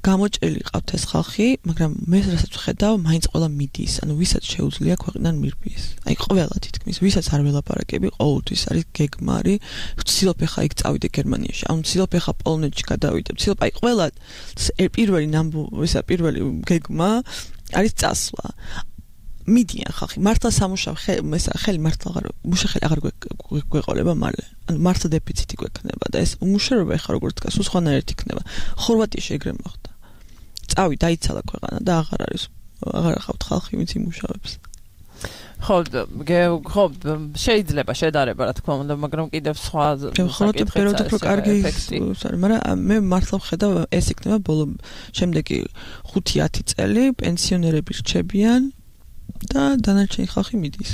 E: გამოჭრილი ყავთ ეს ხალხი, მაგრამ მე რასაც ვხედავ, მაინც ყველა მიდის, ანუ ვისაც შეუძლია შეუძლია ქვეყნიდან მირბიეს. აი ყველა თითქმის, ვისაც არ ველაპარაკები, ყოველთვის არის გეგმარი, ვცდილობ ხა იქ წავიდე გერმანიაში, ანუ ვცდილობ ხა პოლონეთში გადავიდე, ვცდილობ აი ყველა პირველი გეგმა არის წასვლა. მიდიან ხალხი, მართლა სამუშაო ხელი მართლა აღარ გვეყოლება მალე. ანუ მართლა დეფიციტი გვექნება და ეს უმუშევრობა ეხა როგორც დგას, უცხოანაირად იქნება. ხორვატიაში ეგრე მოხდა. წავი დაიცალა ქვეყანა და აღარ ახავთ ხალხი, ვინც იმუშავებს.
B: ხო, შეიძლება შედარება, რა თქმა უნდა, მაგრამ კიდევ სხვა
E: საკითხია. ხო, კარგი ის არის, მაგრამ მე მართლა ვხედავ, ეს იქნება ბოლო შემდეგი 5-10 წელი პენსიონერები რჩებიან და დანარჩენი ხალხი მიდის.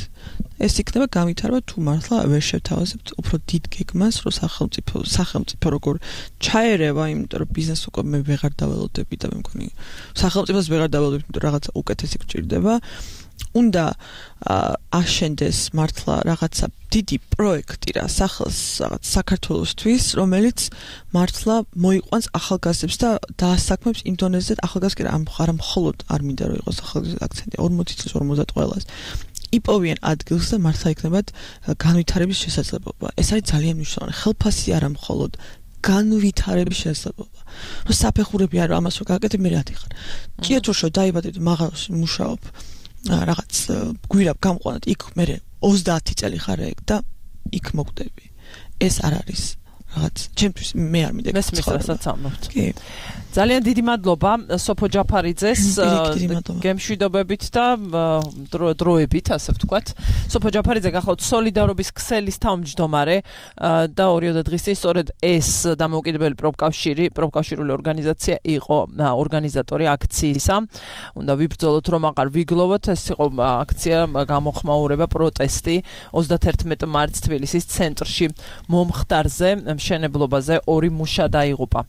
E: ეს იქნება გამითარება თუ მართლა ვერ შევთავაზებთ უფრო დიდ გეგმას, რომ სახელმწიფო როგორ ჩაერევა, იმიტომ რომ ბიზნეს უკვე მე ვეღარ დაველოდები და მე მგონი სახელმწიფოს ვეღარ დაველოდები, იმიტომ რაღაცა უკეთესი გჭირდება. უნდა აშენდეს მართლა რაღაცა დიდი პროექტი რა რაღაც საქართველოსთვის, რომელიც მართლა მოიყვანს ახალგაზრდებს და დაასაქმებს იმ დონეზე ახალგაზრდა არა მხოლოდ არ მინდა რომ იყოს ახალგაზრდა აქცენტი 40 წლის 50 ყველას იპოვიან ადგილს და მართლა იქნებათ განვითარების შესაძლებლობა. ეს არის ძალიან მნიშვნელოვანი. ხელფასი არა მხოლოდ განვითარების შესაძლებლობა. რომ საფეხურები არა ამას რო გაკეთებ მე რა დიხარ. ჭიათურშო დაიბადე და მაღალში მუშაობ. რაღაც გვირაბ გამყვანად იქ მე 30 წელი ხარ ეგ და იქ მოკვდები. ეს არ არის რაღაც ჩემთვის მე არ მინდა
B: მესმის რასაც ამბობთ. კი. ძალიან დიდი მადლობა სოფო ჯაფარიძეს გემშვიდობებით და დროებით ასე ვთქვათ. სოფო ჯაფარიძე გახლავთ სოლიდარობის ქსელის თავმჯდომარე და 2 დღის წინ სწორედ ეს დამოუკიდებელი პროფკავშირული ორგანიზაცია იყო ორგანიზატორი აქციისა. უნდა ვიბრძოლოთ რომ აღარ ვიგლოვოთ, ეს იყო აქცია გამოხმაურება პროტესტი 31 მარტს თბილისის ცენტრში მომხდარზე მშენებლობაზე 2 მუშა დაიღუპა.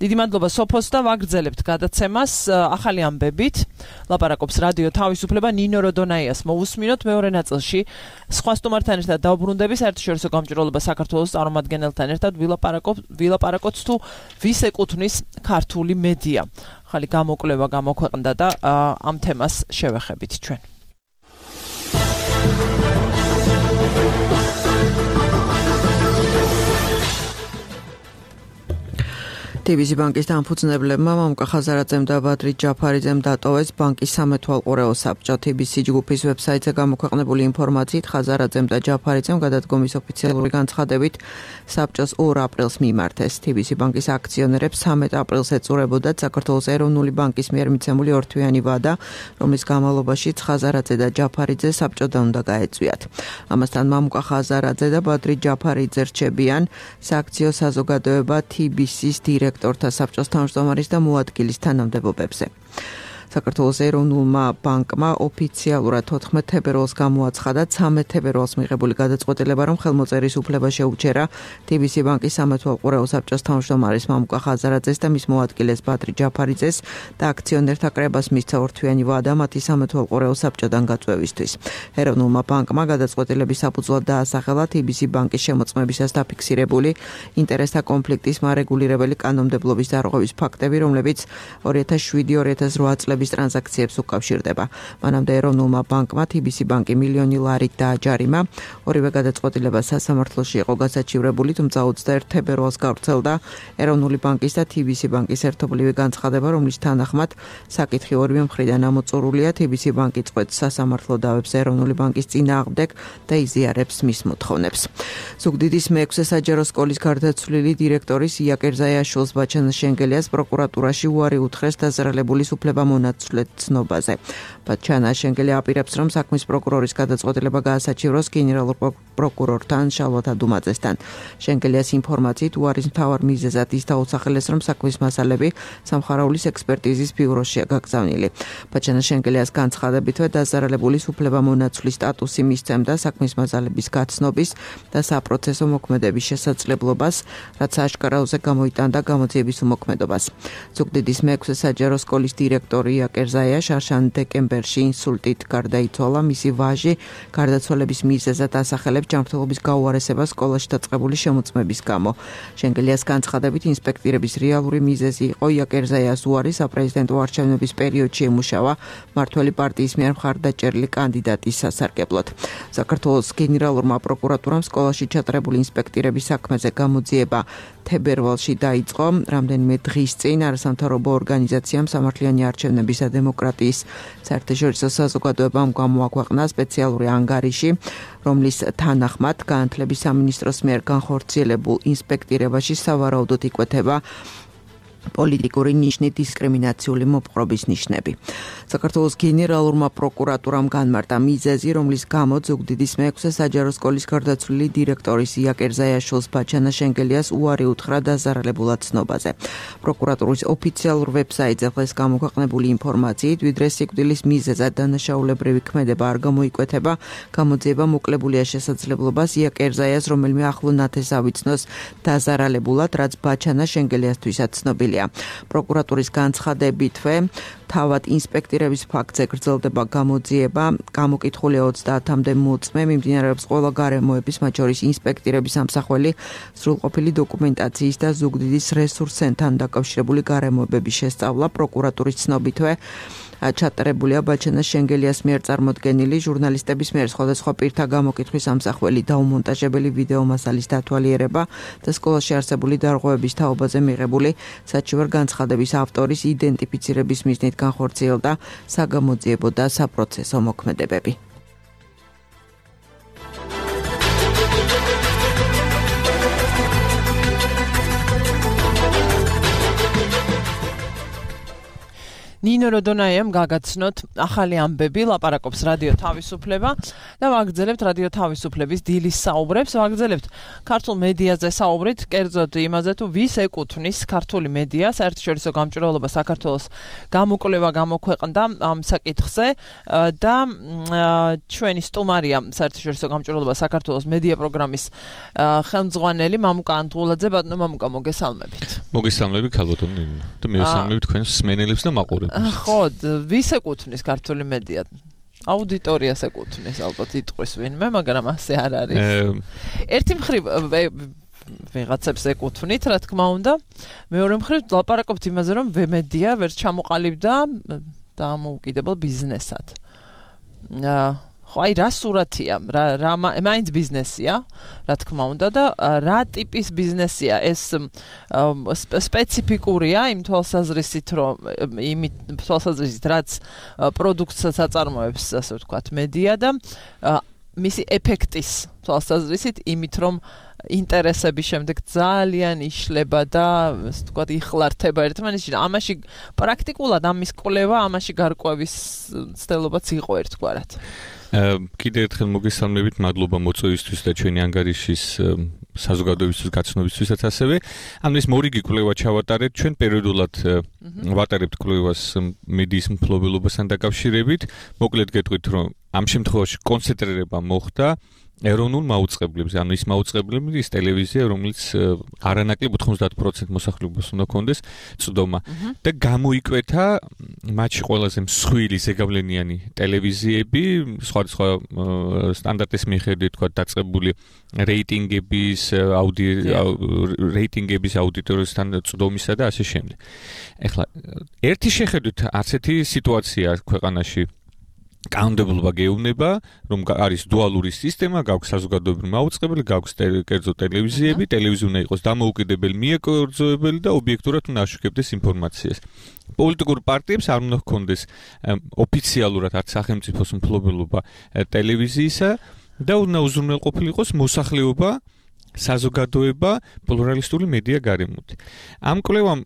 B: დიდი მადლობა სოფოს და ვაგრძელებთ გადაცემას ახალი ამბებით. ლაპარაკობს რადიო თავისუფლება ნინო როდონაიას მოусმინოთ მეორე ნაწილში. სხვა სტუმართან ერთად დავბრუნდები საერთაშორისო გამჭვირვალობა საქართველოს წარმომადგენელთან ერთად ვილაპარაკოთ თუ ვის ეკუთვნის ქართული მედია. ახალი გამოკვლევა გამოქვეყნდა და ამ თემას შევეხებით ჩვენ.
G: TBC ბანკის დამფუძნებლებმა მამუკა ხაზარაძემ და ბადრი ჯაფარიძემ დატოვეს ბანკის სამეთვალყურეო საბჭო. TBC ჯგუფის ვებსაიტზე გამოქვეყნებული ინფორმაციით ხაზარაძემ და ჯაფარიძემ გადადგომის ოფიციალური განცხადებით საბჭოს 2 აპრილს მიმართეს. TBC ბანკის აქციონერებს 13 აპრილს ეწურებოდათ საქართველოს ეროვნული ბანკის მიერ მიცემული ორთვიანი ვადა, რომლის განმავლობაში ხაზარაძე და ჯაფარიძე საბჭოდან უნდა გაეწვიათ. ამასთან მამუკა ხაზარაძე და ბადრი ჯაფარიძე რჩებიან სააქციო საზოგადოება TBC-ის დირექტორთა საბჭოს თავმჯდომარის და მოადგილის თანამდებობებზე. საქართველოს ეროვნულმა ბანკმა ოფიციალურად 14 თებერვალს გამოაცხადა 13 თებერვალს მიღებული გადაწყვეტილება, რომ ხელმოწერის უფლება შეუჩერა TBC ბანკის სამეთვალყურეო საბჭოს თავმჯდომარის მამუკა ხაზარაძეს და მის მოადგილეს ბადრი ჯაფარიძეს და აქციონერთა კრებას მისცა ორთვიანი ვადა მათი სამეთვალყურეო საბჭოდან გაწვევისთვის. ეროვნულმა ბანკმა გადაწყვეტილების საფუძვლად დაასახელა TBC ბანკის შემოწმებისას დაფიქსირებული ინტერესთა კონფლიქტის მარეგულირებელი კანონმდებლობის დარღვევის ფაქტები, რომლებიც 2007-2008 წლების ტრანზაქციებს უკავშირდება. მანამდე ეროვნულმა ბანკმა TBC ბანკი მილიონი ლარით დააჯარიმა. ორივე გადაწყვეტილება სასამართლოში იყო გასაჩივრებული, თუმცა 21 თებერვალს გავრცელდა ეროვნული ბანკის და TBC ბანკის ერთობლივი განცხადება, რომლის თანახმად საკითხი ორივე მხრიდან ამოწურულია. TBC ბანკი წყვეტს სასამართლო დავებს ეროვნული ბანკის წინააღმდეგ და იზიარებს მის მოთხოვნებს. ზუგდიდის მე-6 საჯარო სკოლის გარდაცვლილი დირექტორის იაკერ ზაიაშვილს ბაჩანა შენგელიას პროკურატურაში უარი უთხრეს დაზრალებული უფლება ცნობაზე. ბაჩანა შენგელია აპირებს, რომ საქმის პროკურორის გადაწყვეტილება გაასაჩივროს გენერალურ პროკურორთან შალვა თადუმაძესთან. შენგელიას ინფორმაციით უარის მთავარ მიზეზად ის დაუსახელეს, რომ საქმის მასალები სამხარაულის ექსპერტიზის ბიუროშია გაგზავნილი. ბაჩანა შენგელიას განცხადებითვე დაზარალებულის უფლება მონაცვლის სტატუსი მისცემდა საქმის მასალების გაცნობის და საპროცესო მოქმედების შესაძლებლობას, რაც აშკარაუზე გამოიტანდა გამოძიების უმოქმედობას. ზუგდიდის მე-6 საჯარო სკოლის დირექტორი იაკერ ზაია შარშან დეკემბერში ინსულტით გარდაიცვალა. მისი ვაჟი გარდაცვალების მიზეზად ასახელებს ჯანმრთელობის გაუარესებას სკოლაში დაწყებული შემოწმების გამო. შენგელიას განცხადებით ინსპექტირების რეალური მიზეზი იყო იაკერ ზაიას უარი საპრეზიდენტო არჩევნების პერიოდში ემუშავა მმართველი პარტიის მიერ მხარდაჭერილი კანდიდატის სასარგებლოდ. საქართველოს გენერალურმა პროკურატურამ სკოლაში ჩატარებული ინსპექტირების საქმეზე გამოძიება თებერვალში დაიწყო. რამდენიმე დღის წინ არასამთავრობო ორგანიზაციამ სამართლიანი არჩევნების და დემოკრატიის საერთაშორისო საზოგადოებამ გამოაქვეყნა სპეციალური ანგარიში, რომლის თანახმად განათლების სამინისტროს მიერ განხორციელებულ ინსპექტირებაში სავარაუდოდ იკვეთება პოლიტიკური ნიშნით დისკრიმინაციული მოპყრობის ნიშნები. საქართველოს გენერალურმა პროკურატურამ განმარტა მიზეზი, რომლის გამოც ზუგდიდის მე-6 საჯარო სკოლის გარდაცვლილი დირექტორის იაკერ ზაიაშვილს ბაჩანა შენგელიას უარი უთხრა დაზარალებულად ცნობაზე. პროკურატურის ოფიციალურ ვებსაიტზე დღეს გამოქვეყნებული ინფორმაციით, ვიდრე სიკვდილის მიზეზად დანაშაულებრივი ქმედება არ გამოიკვეთება, გამოძიება მოკლებულია შესაძლებლობას იაკერ ზაიას რომელიმე ახლო ნათესს ავიცნოს დაზარალებულად, რაც ბაჩანა შენგელიასთვისაც ცნობილია. პროკურატურის განცხადებითვე თავად ინსპექტირების ფაქტზე გრძელდება გამოძიება. გამოკითხულია 30-მდე მოწმე, მიმდინარეობს ყველა გარემოების, მათ შორის ინსპექტირების ამსახველი, სრულყოფილი დოკუმენტაციის და ზუგდიდის რესურს ცენტრთან დაკავშირებული გარემოებების შესწავლა. პროკურატურის ცნობითვე ჩატარებულია ბაჩანა შენგელიას მიერ წარმოდგენილი ჟურნალისტების მიერ სხვადასხვა პირთა გამოკითხვის ამსახველი დაუმონტაჟებელი ვიდეო მასალის დათვალიერება და სკოლაში არსებული დარღვევების თაობაზე მიღებული საჩივარ განცხადების ავტორის იდენტიფიცირების მიზნით განხორციელდა საგამოძიებო და საპროცესო მოქმედებები.
B: ნინო როდონაიამ გაგაცნოთ ახალი ამბები, ლაპარაკობს რადიო თავისუფლება და ვაგრძელებთ რადიო თავისუფლების დილის საუბრებს, ვაგრძელებთ ქართულ მედიაზე საუბრით, კერძოდ იმაზე თუ ვის ეკუთვნის ქართული მედია, საერთაშორისო გამჭვირვალობა საქართველოს გამოკვლევა გამოქვეყნდა ამ საკითხზე და ჩვენი სტუმარია საერთაშორისო გამჭვირვალობა საქართველოს მედია პროგრამის ხელმძღვანელი მამუკა ანტულაძე. ბატონო მამუკა, მოგესალმებით.
H: მოგესალმებით ქალბატონო ნინო და მივესალმებით თქვენს მსმენელებს და მაყურებელს.
B: ხო, ვის ეკუთვნის ქართული მედია? აუდიტორიას ეკუთვნის ალბათ იტყვის ვინმე, მაგრამ ასე არ არის. ერთი მხრივ ვიღაცებს ეკუთვნით, რა თქმა უნდა. მეორე მხრივ ლაპარაკობთ იმაზე, რომ ვემედია ვერ ჩამოყალიბდა დამოუკიდებელ ბიზნესად. ხო, აი რა სურათია, რა მაინც ბიზნესია, რა თქმა უნდა და რა ტიპის ბიზნესია ეს სპეციფიკურია იმ თვალსაზრისით, რომ თვალსაზრისით რაც პროდუქტსაც აწარმოებს, ასე ვთქვათ, მედია და მისი ეფექტის თვალსაზრისით იმით, რომ ინტერესების შემდეგ ძალიან იშლება და ასე ვთქვათ, იხლართება ერთმანეთში. ამაში პრაქტიკულად ამის კვლევა, ამაში გარკვევის ცდილობაც იყო ერთგვარად.
H: კიდევ ერთხელ მოგესალმებით, მადლობა მოწვევისთვის და ჩვენი ანგარიშის საზოგადოებისთვის გაცნობისთვისაც ასევე. ამის მორიგი კვლევა ჩავატარეთ, ჩვენ პერიოდულად ვატარებთ კვლევას მედიის მფლობელობასთან დაკავშირებით. მოკლედ გეტყვით, რომ ამ შემთხვევაში კონცენტრირება მოხდა ეროვნულ მაუწყებლებზე, ანუ ის მაუწყებლები, ის ტელევიზია, რომელიც არანაკლებ 90% მოსახლეობას უნდა კონდეს წვდომა და გამოიკვეთა მათში ყველაზე მსხვილი ზეგავლენიანი ტელევიზიები, სხვადასხვა სტანდარტის მიხედვით, თქვა დაწყებული რეიტინგების, რეიტინგების აუდიტორიასთან წვდომისა და ასე შემდეგ. ეხლა ერთი შეხედვით არც ერთი სიტუაცია ქვეყანაში კანონმდებლობა გეუბნება, რომ არის დუალური სისტემა, გაქვს საზოგადოებრივი მაუწყებელი, გაქვს კერძო ტელევიზიები, ტელევიზია უნდა იყოს დამოუკიდებელი, მიეკორძოებელი და ობიექტურად უნდა აშუქებდეს ინფორმაციას. პოლიტიკურ პარტიებს არ უნდა ჰქონდეს ოფიციალურად არც სახელმწიფოს მფლობელობა ტელევიზიისა და უნდა უზრუნველყოფილიყოს მოსახლეობა, საზოგადოება პლურალისტური მედია გარემოთი. ამ კვლევამ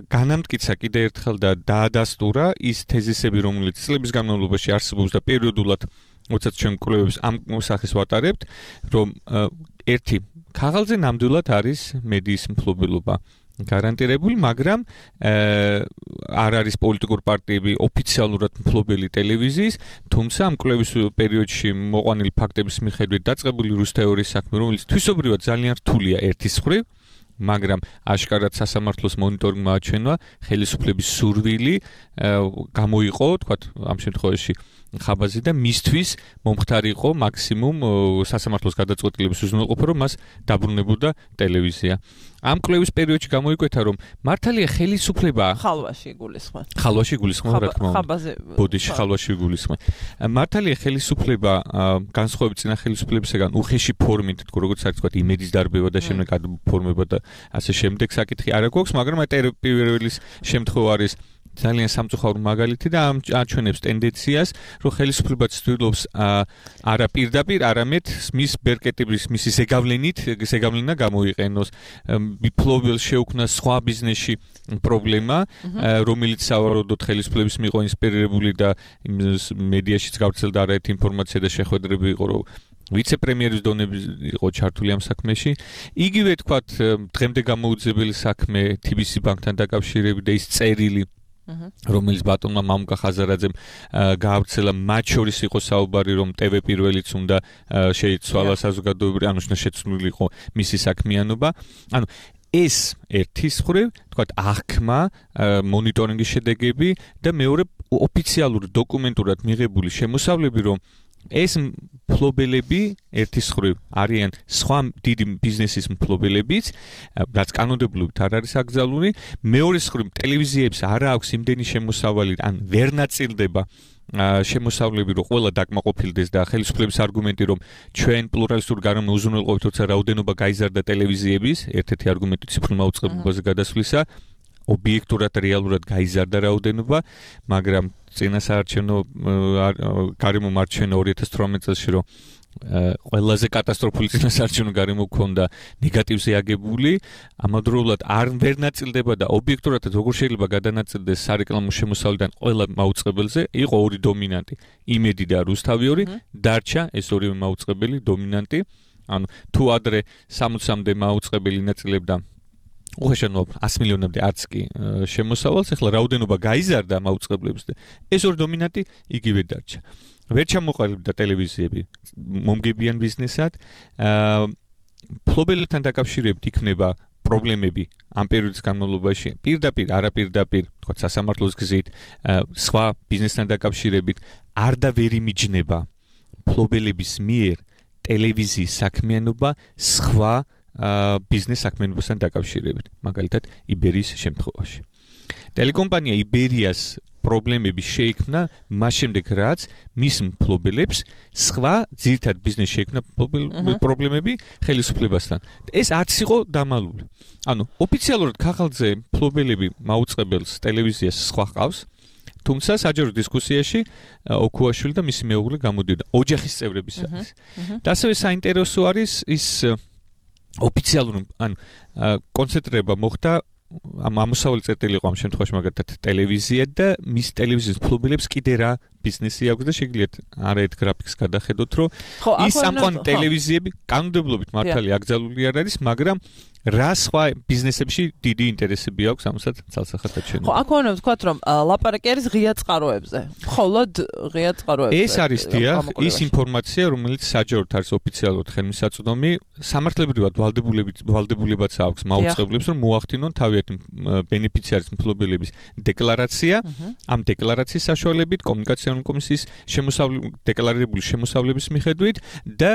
H: განამტკიცა კიდევ ერთხელ და დაადასტურა ის თეზისები, რომელიც წლების განმავლობაში არსებობს და პერიოდულად, როდესაც ჩვენ კვლევებს ამ სახეს ვატარებთ, რომ ერთი ქაღალდზე ნამდვილად არის მედიის მფლობელობა გარანტირებული, მაგრამ არ არის პოლიტიკურ პარტიები ოფიციალურად მფლობელი ტელევიზიის, თუმცა ამ კვლევის პერიოდში მოყვანილი ფაქტების მიხედვით დაწყებული რუს თეორიის საქმე, რომელიც თვისობრივად ძალიან რთულია ერთის მხრივ, მაგრამ აშკარად სასამართლოს მონიტორინგმა აჩვენა ხელისუფლების სურვილი გამოიყო, თქვათ, ამ შემთხვევაში ხაბაზი და მისთვის მომხდარი იყო მაქსიმუმ სასამართლოს გადაწყვეტილების უზრუნველყოფა, რომ მას დაბრუნებოდა ტელევიზია. ამ კვლევის პერიოდში გამოიკვეთა, რომ მართალია ხელისუფლება
B: ხალვაში იგულისხმება.
H: ხალვაში იგულისხმება, რა თქმა უნდა. ბოდიში ხალვაში იგულისხმება. მართალია ხელისუფლება განსხვავებით წინა ხელისუფლებისგან უხეში ფორმით, როგორც არის თქვა, იმედის დარბევა და შემდეგ გადაფორმება და ასე შემდეგ საკითხი არ აქვს, მაგრამ პირველის შემთხვევა არის ძალიან სამწუხარო მაგალითი და აჩვენებს ტენდენციას, რომ ხელისუფლება ცდილობს არა პირდაპირ, არამედ მის ბერკეტების, მისი ზეგავლენა გამოიყენოს, მიფლობელს შეუქმნა სხვა ბიზნესში პრობლემა, რომელიც სავარაუდოდ ხელისუფლების მიიღო ინსპირირებული და მედიაშიც გავრცელდა არაერთი ინფორმაცია და შეხვედრები იყო, რომ ვიცე-პრემიერის დონეები იყო ჩართული ამ საქმეში. იგივე თქვათ, დღემდე გამოუძებელი საქმე TBC ბანკთან დაკავშირებით და ის წერილი რომელიც ბატონმა მამუკა ხაზარაძემ გაავრცელა, მათ შორის იყო საუბარი, რომ TV პირველიც უნდა შეიცვალა საზოგადოებრივი, ანუ შეცვლილი იყო მისი საქმიანობა. ანუ ეს ერთის მხრივ, თქვათ, აღქმა, მონიტორინგის შედეგები და მეორე ოფიციალური დოკუმენტურად მიღებული შემოსავლები, რომ ეს მფლობელები ერთის მხრივ არიან სხვა დიდი ბიზნესის მფლობელებიც, რაც კანონმდებლობით არ არის აკრძალული, მეორეს მხრივ ტელევიზიებს არ აქვს იმდენი შემოსავალი, ან ვერ ნაწილდება შემოსავლები, რომ ყველა დაკმაყოფილდეს და ხელისუფლების არგუმენტი, რომ ჩვენ პლურალისტური გარემო უზრუნველყოფით, თორსა რაოდენობა გაიზარდა ტელევიზიების, ერთ-ერთი არგუმენტი ციფრულ მაუწყებლობაზე გადასვლისა, ობიექტურად რეალურად გაიზარდა რაოდენობა, მაგრამ წინასაარჩევნო გარემო მარჩენა 2018 წელს, რომ ყველაზე კატასტროფული წინასაარჩევნო გარემო ჰქონდა ნეგატივზე აგებული, ამავდროულად არ ვერ ნაწილდება და ობიექტურად როგორ შეიძლება გადანაწილდეს სარეკლამო შემოსავლიდან ყველა მაუწყებელზე, იყო ორი დომინანტი, იმედი და რუსთავი, დარჩა ეს ორივე მაუწყებელი დომინანტი, ანუ თუ ადრე 60-მდე მაუწყებელი ნაწილებდა უხეშად 100 მილიონამდე არც კი შემოსავალს, ახლა რაოდენობა გაიზარდა მაუწყებლების და ეს ორი დომინანტი იგივე დარჩა. ვერ ჩამოყალიბდა ტელევიზიები მომგებიან ბიზნესად, მფლობელებთან დაკავშირებით იქნება პრობლემები ამ პერიოდის განმავლობაში, პირდაპირ, არაპირდაპირ, თქვა სასამართლოს გზით, სხვა ბიზნესთან დაკავშირებით არ და ვერ იმიჯნება მფლობელების მიერ ტელევიზიის საქმიანობა სხვა ბიზნეს საქმიანობასთან დაკავშირებით, მაგალითად იბერიის შემთხვევაში. ტელეკომპანია იბერიას პრობლემები შეიქმნა მას შემდეგ, რაც მის მფლობელებს სხვა ძირითად ბიზნესში შეიქმნა პრობლემები ხელისუფლებასთან. ეს არც იყო დამალული. ანუ ოფიციალურად ქაღალდზე მფლობელები მაუწყებელს ტელევიზიას სხვა ყავს, თუმცა საჯარო დისკუსიაში ოქუაშვილი და მისი მეუღლე გამოდიოდა ოჯახის წევრებისათვის. და ასევე საინტერესო არის ის ოფიციალური, ანუ კონცენტრება მოხდა ამ ამოსავალი წერტილი იყო ამ შემთხვევაში მაგალითად ტელევიზია და მის ტელევიზიის მფლობელებს კიდე რა ბიზნესი აქვს და შეგიძლიათ არაერთ გრაფიკს გადახედოთ, რომ ის ამყვანი ტელევიზიები კანონმდებლობით მართალი აკრძალული არ არის, მაგრამ რა სხვა ბიზნესებში დიდი ინტერესები აქვს ამასაც ცალსახად აჩვენება.
B: ხო, აქ უნდა ვთქვათ, რომ ლაპარაკი არის ღია წყაროებზე. მხოლოდ ღია წყაროებზე.
H: ეს არის დიახ, ის ინფორმაცია, რომელიც საჯაროდ არის ოფიციალურად ხელმისაწვდომი, სამართლებრივად ვალდებულებაც აქვს მაუწყებლებს, რომ მოახდინონ თავიანთი ბენეფიციარის მფლობელების დეკლარაცია, ამ დეკლარაციის საშუალებით კომუნიკაციონალური კომისიის დეკლარირებული შემოსავლების მიხედვით და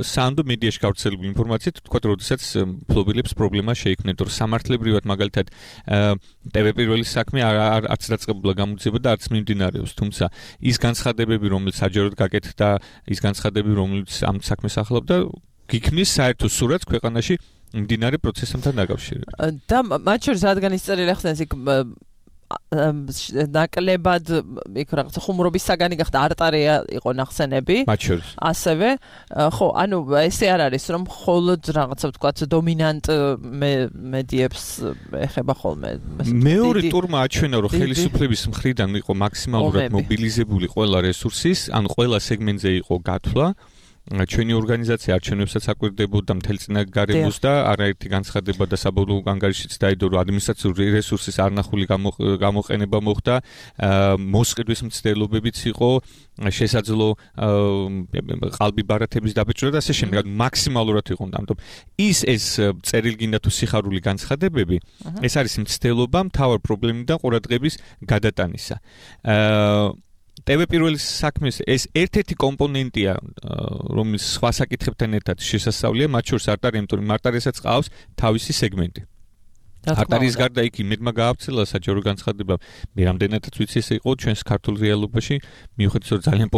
H: სანდო მედიაში გავრცელებული ინფორმაციით, თქვათ, როდესაც მფლობელებს პრობლემა შეიქმნებთ, რომ სამართლებრივად მაგალითად TV პირველის საქმე არც დაწყებულა გამოძიება და არც მიმდინარეობს, თუმცა ის განცხადებები, რომელიც საჯაროდ გაკეთდა, ის განცხადებები, რომელიც ამ საქმეს ახლობდა, გიქმნის საერთო სურათს ქვეყანაში მიმდინარე პროცესებთან დაკავშირებით.
B: და მათ შორის რადგან ის წერილი ახსენეს, იქ ნაკლებად იქ რაღაცა ხუმრობის საგანი გახდა, არტარია იყო ნახსენები.
H: მათ შორის.
B: ასევე, ხო, ანუ ესე არ არის, რომ მხოლოდ რაღაცა ვთქვათ დომინანტ მედიებს ეხება ხოლმე.
H: მეორე ტურმა აჩვენა, რომ ხელისუფლების მხრიდან იყო მაქსიმალურად მობილიზებული ყველა რესურსის, ან ყველა სეგმენტზე იყო გათვლა. ჩვენი ორგანიზაცია არჩევნებსაც აკვირდებოდა მთელ წინაგარემოს და არაერთი განცხადება და საბოლოო ანგარიშიც დაიდო, რომ ადმინისტრაციული რესურსის არნახული გამოყენება მოხდა, მოსყიდვის მცდელობებიც იყო, შესაძლო ყალბი ბარათების დაბეჭდა და ასე შემდეგ. მაქსიმალურად იყო, ამიტომ ეს წერილი გინდა თუ სიხარული განცხადებები, ეს არის მცდელობა მთავარ პრობლემიდან ყურადღების გადატანისა. TV პირველის საქმეს ეს ერთ-ერთი კომპონენტია, რომელიც სხვა საკითხებთან ერთად შესასწავლია, მათ შორის არტარიემტური მარტარესაც ყავს თავისი სეგმენტი. არტარიის გარდა იქ იმედმა გაავრცელა საჯარო განცხადება, მე რამდენადაც ვიცი ეს იყო ჩვენს ქართულ რეალობაში, მიუხედავად რომ ძალიან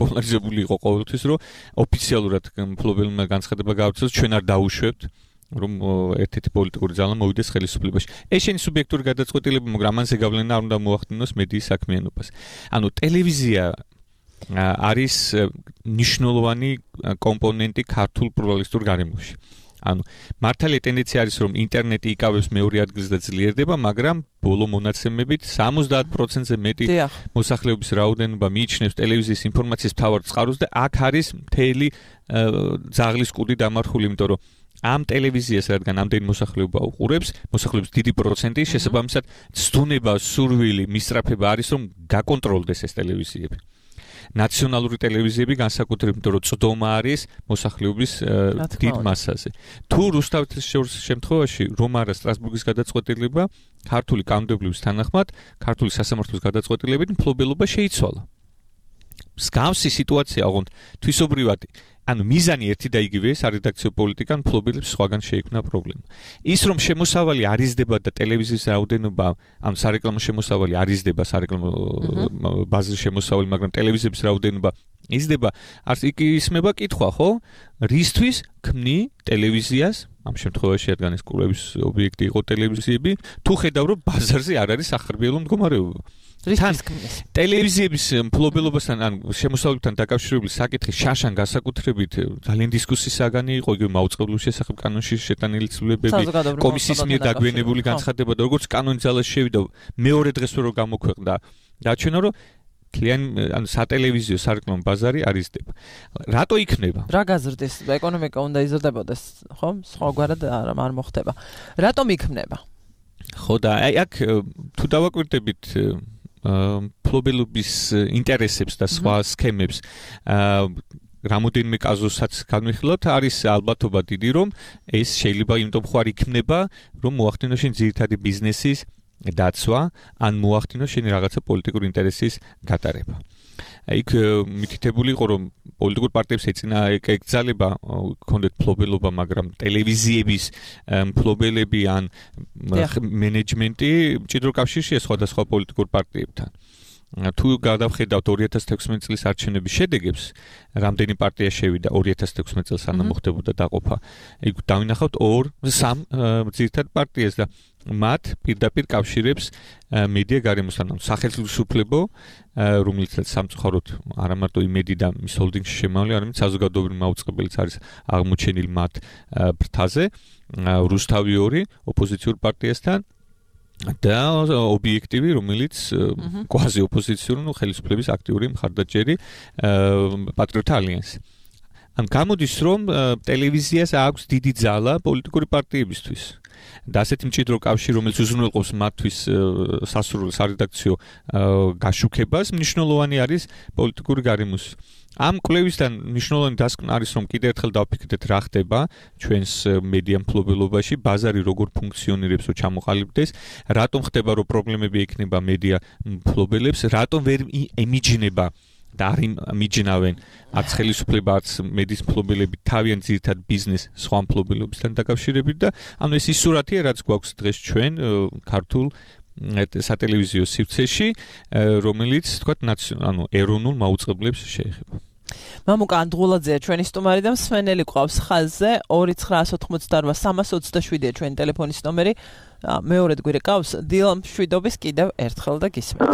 H: პოლარიზებული იყო ყოველთვის, რომ ოფიციალურად მფლობელმა განცხადება გაავრცელოს, ჩვენ არ დაუშვებთ რომ ერთ-ერთი პოლიტიკური ძალა მოვიდეს ხელისუფლებაში. ეს შენი სუბიექტური გადაწყვეტილება, მაგრამ ამაზე გავლენა არ უნდა მოახდინოს მედიის საქმიანობას. ანუ ტელევიზია არის მნიშვნელოვანი კომპონენტი ქართულ პლურალისტურ გარემოში. ანუ მართალია ტენდენცია არის, რომ ინტერნეტი იკავებს მეორე ადგილს და ძლიერდება, მაგრამ ბოლო მონაცემებით 70%-ზე მეტი მოსახლეობის რაოდენობა მიიჩნევს ტელევიზიის ინფორმაციის მთავარ წყაროს და აქ არის მთელი ძაღლის კუდი დამარხული, იმიტომ რომ ამ ტელევიზიას, რადგან ამდენი მოსახლეობა უყურებს, მოსახლეობის დიდი პროცენტი, შესაბამისად, ცდუნება, სურვილი, მისწრაფება არის, რომ გაკონტროლდეს ეს ტელევიზიები. ნაციონალური ტელევიზიები განსაკუთრებით, იმიტომ რომ წდომა არის მოსახლეობის დიდ მასაზე. თუ რუსთავის შემთხვევაში რომ არა სტრასბურგის გადაწყვეტილება, ქართული კანონმდებლობის თანახმად, ქართული სასამართლოს გადაწყვეტილებით მფლობელობა შეიცვალა. მსგავსი სიტუაცია ოღონდ თვისობრივად, ანუ მიზანი ერთი და იგივეა, სარედაქციო პოლიტიკა მფლობელებს სხვაგან შეიქმნა პრობლემა. ის რომ შემოსავალი არ იზრდება და ტელევიზიის რაოდენობა, ან სარეკლამო შემოსავალი არ იზრდება, სარეკლამო ბაზრის შემოსავალი, მაგრამ ტელევიზიების რაოდენობა იზრდება, არც იქ ისმება კითხვა, ხო? რისთვის ქმნი ტელევიზიას, ამ შემთხვევაში რადგან ეს კურების ობიექტი იყო ტელევიზიები, თუ ხედავ რომ ბაზარზე არ არის სახარბიელო მდგომარეობა. ტელევიზიების მფლობელობასთან ან შემოსავლებთან დაკავშირებული საკითხი შაშან განსაკუთრებით ძალიან დისკუსიის საგანი იყო, იგივე მაუწყებლობის შესახებ კანონში შეტანილი ცვლილებები, კომისიის მიერ დაგვიანებული განცხადება და როგორც კანონის ძალაში შევიდა, მეორე დღეს რო გამოქვეყნდა, დაჩვენა რომ კლიენტ ან სატელევიზიო სარეკლამო ბაზარი არ იზრდება. რატო იქნება?
B: რა გაზრდის? ეკონომიკა უნდა იზრდებოდეს, ხო? სხვაგვარად არ მოხდება. რატომ იქნება?
H: ხო და აი აქ თუ დავაკვირდებით მფლობელობის ინტერესებს და სხვა სქემებს რამოდენიმე კაზუსსაც განვიხილავთ, არის ალბათობა დიდი, რომ ეს შეიძლება იმიტომ ხარ იქნება, რომ მოახდინოს შენ ძირითადი ბიზნესის დაცვა, ან მოახდინოს შენ რაღაცა პოლიტიკური ინტერესის გატარება. იქ მითითებული იყო, რომ პოლიტიკურ პარტიებს ეწინა ეკძალება ქონდეთ მფლობელობა, მაგრამ ტელევიზიების მფლობელები ან მენეჯმენტი მჭიდრო კავშირშია სხვადასხვა პოლიტიკურ პარტიებთან. თუ გადავხედავთ 2016 წლის არჩევნების შედეგებს, რამდენი პარტია შევიდა 2016 წელს სანამ მოხდებოდა დაყოფა, იქ დავინახავთ 2-3 ძირითად პარტიას და მათ პირდაპირ კავშირებს მედია გარემოსთან, სახელმწიფო, რომელიც სამწუხაროდ არა მარტო იმედი და მის ჰოლდინგში შემავალი, არამედ საზოგადოებრივი მაუწყებელიც არის აღმოჩენილი მათ ფრთაზე, რუსთავი 2 ოპოზიციურ პარტიასთან და ობიექტივი, რომელიც კვაზი ოპოზიციური, ხელისუფლების აქტიური მხარდაჭერი პატრიოტთა ალიანსი. ან გამოდის, რომ ტელევიზიას აქვს დიდი ძალა პოლიტიკური პარტიებისთვის. და ასეთი მჭიდრო კავშირი, რომელიც უზრუნველყოფს მათთვის სასურველ სარედაქციო გაშუქებას, მნიშვნელოვანი არის პოლიტიკური გარემოს. ამ კვლევისგან მნიშვნელოვანი დასკვნა არის, რომ კიდევ ერთხელ დავფიქრდეთ რა ხდება ჩვენს მედია მფლობელობაში, ბაზარი როგორ ფუნქციონირებს, რომ ჩამოყალიბდეს, რატომ ხდება, რომ პრობლემები ექნება მედია მფლობელებს, რატომ ვერ ემიჯნება და არ მიჯნავენ არც ხელისუფლება, არც მედიის მფლობელები თავიანთ ძირითად ბიზნეს სხვა მფლობელებთან დაკავშირებით და ანუ ეს ის სურათია, რაც გვაქვს დღეს ჩვენ ქართულ სატელევიზიო სივრცეში, რომელიც თქვათ ეროვნულ მაუწყებლებს შეეხება.
B: მამუკა ანდღულაძეა ჩვენი სტუმარი და მსმენელი ყავს ხაზზე 2988327-ია ჩვენი ტელეფონის ნომერი. მეორედ გვირე ყავს დილა მშვიდობის კიდევ ერთხელ და გისმენთ.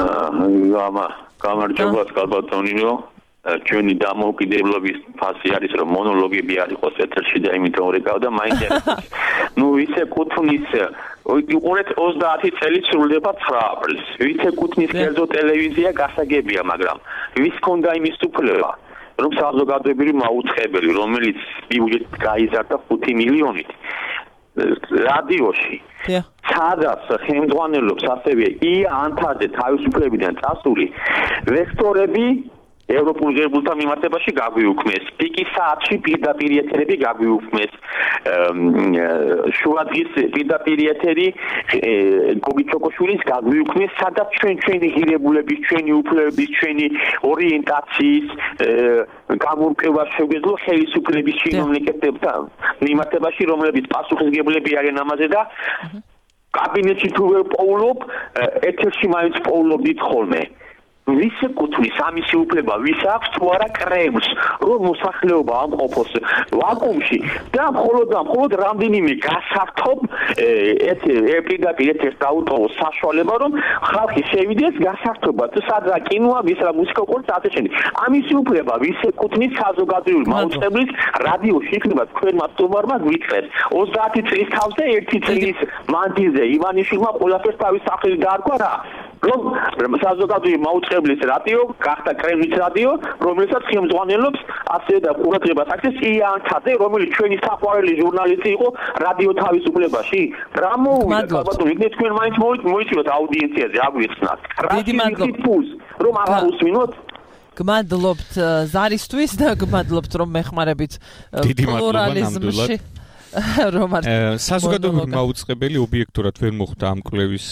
F: გამარჯობა კალბატონინო, ჩვენი დამოუკიდებლობის ფასი არის, რომ მონოლოგები არ იყოს ეთერში და იმიტომ რეკავ და მაინტერესებს. ისე კუთვნის უყურეთ 30 წელი სრულდება 9 აპრილს. ვიცე კუთვნის კერძო ტელევიზია გასაგებია, მაგრამ ვის ქონდა იმის უფლება? რომ საზოგადოებრივი მაუწყებელი, რომელიც ბიუჯეტით გაიზარდა 5 მილიონით რადიოში სადაც ხელმძღვანელობს ასევე ია ანთაძე თავისუფლებიდან წასული ვექტორები ევროპულ ღირებულთა მიმართებაში გაგვიუქმეს. პიკის საათში პირდაპირ ეთერები გაგვიუქმეს. შუადღის პირდაპირ ეთერი გოგი ჩოკოშვილის გაგვიუქმეს, სადაც ჩვენი ღირებულების, ჩვენი უფლებების, ჩვენი ორიენტაციის გამორკვევა შეგვეძლო ხელისუფლების чиновникებთან მიმართებაში, რომლებიც პასუხისმგებლები არიან ამაზე და კაბინეტში თუ ვერ პოულობ, ეთერში მაინც პოულობდით ხოლმე. ვის ეკუთვნის ამისი უფლება, ვის აქვს თუ არა კრემლს, რომ მოსახლეობა ამყოფოს ვაკუუმში და მხოლოდ რამდენიმე გასართობ პირდაპირ ეთერს დაუტოვოს საშუალება, რომ ხალხი შევიდეს გასართობად, სადღა კინოა, ვის რა მუსიკა ყურს ასე შემდეგ. ამისი უფლება ვის ეკუთვნის საზოგადოებრივ მაუწყებლის რადიოში იქნება თქვენმა სტუმარმა გვიწყეს 30 წლის თავზე 1 წლის მანძილზე ივანიშვილმა ყველაფერს თავის სახელი დაარქვა რა რომ საზოგადოებრივი მაუწყებლის რადიო გახდა კრემლის რადიო, რომელსაც ხელმძღვანელობს ასე და ყურადღებას აქცევს ია ანთაძე, რომელიც ჩვენი საყვარელი ჟურნალისტი იყო რადიო თავისუფლებაში. რა მოვიდა ბატონო, იქნებ თქვენ მაინც მოიწვიოთ აუდიენციაზე, აგვიხსნათ.
B: დიდი მადლობა.
F: რომ აღარ უსმინოთ.
B: გმადლობთ ზარისთვის და გმადლობთ რომ მეხმარებით პლურალიზმში.
H: საზოგადოებრივი მაუწყებელი ობიექტურად ვერ მოხვდა ამ კვლევის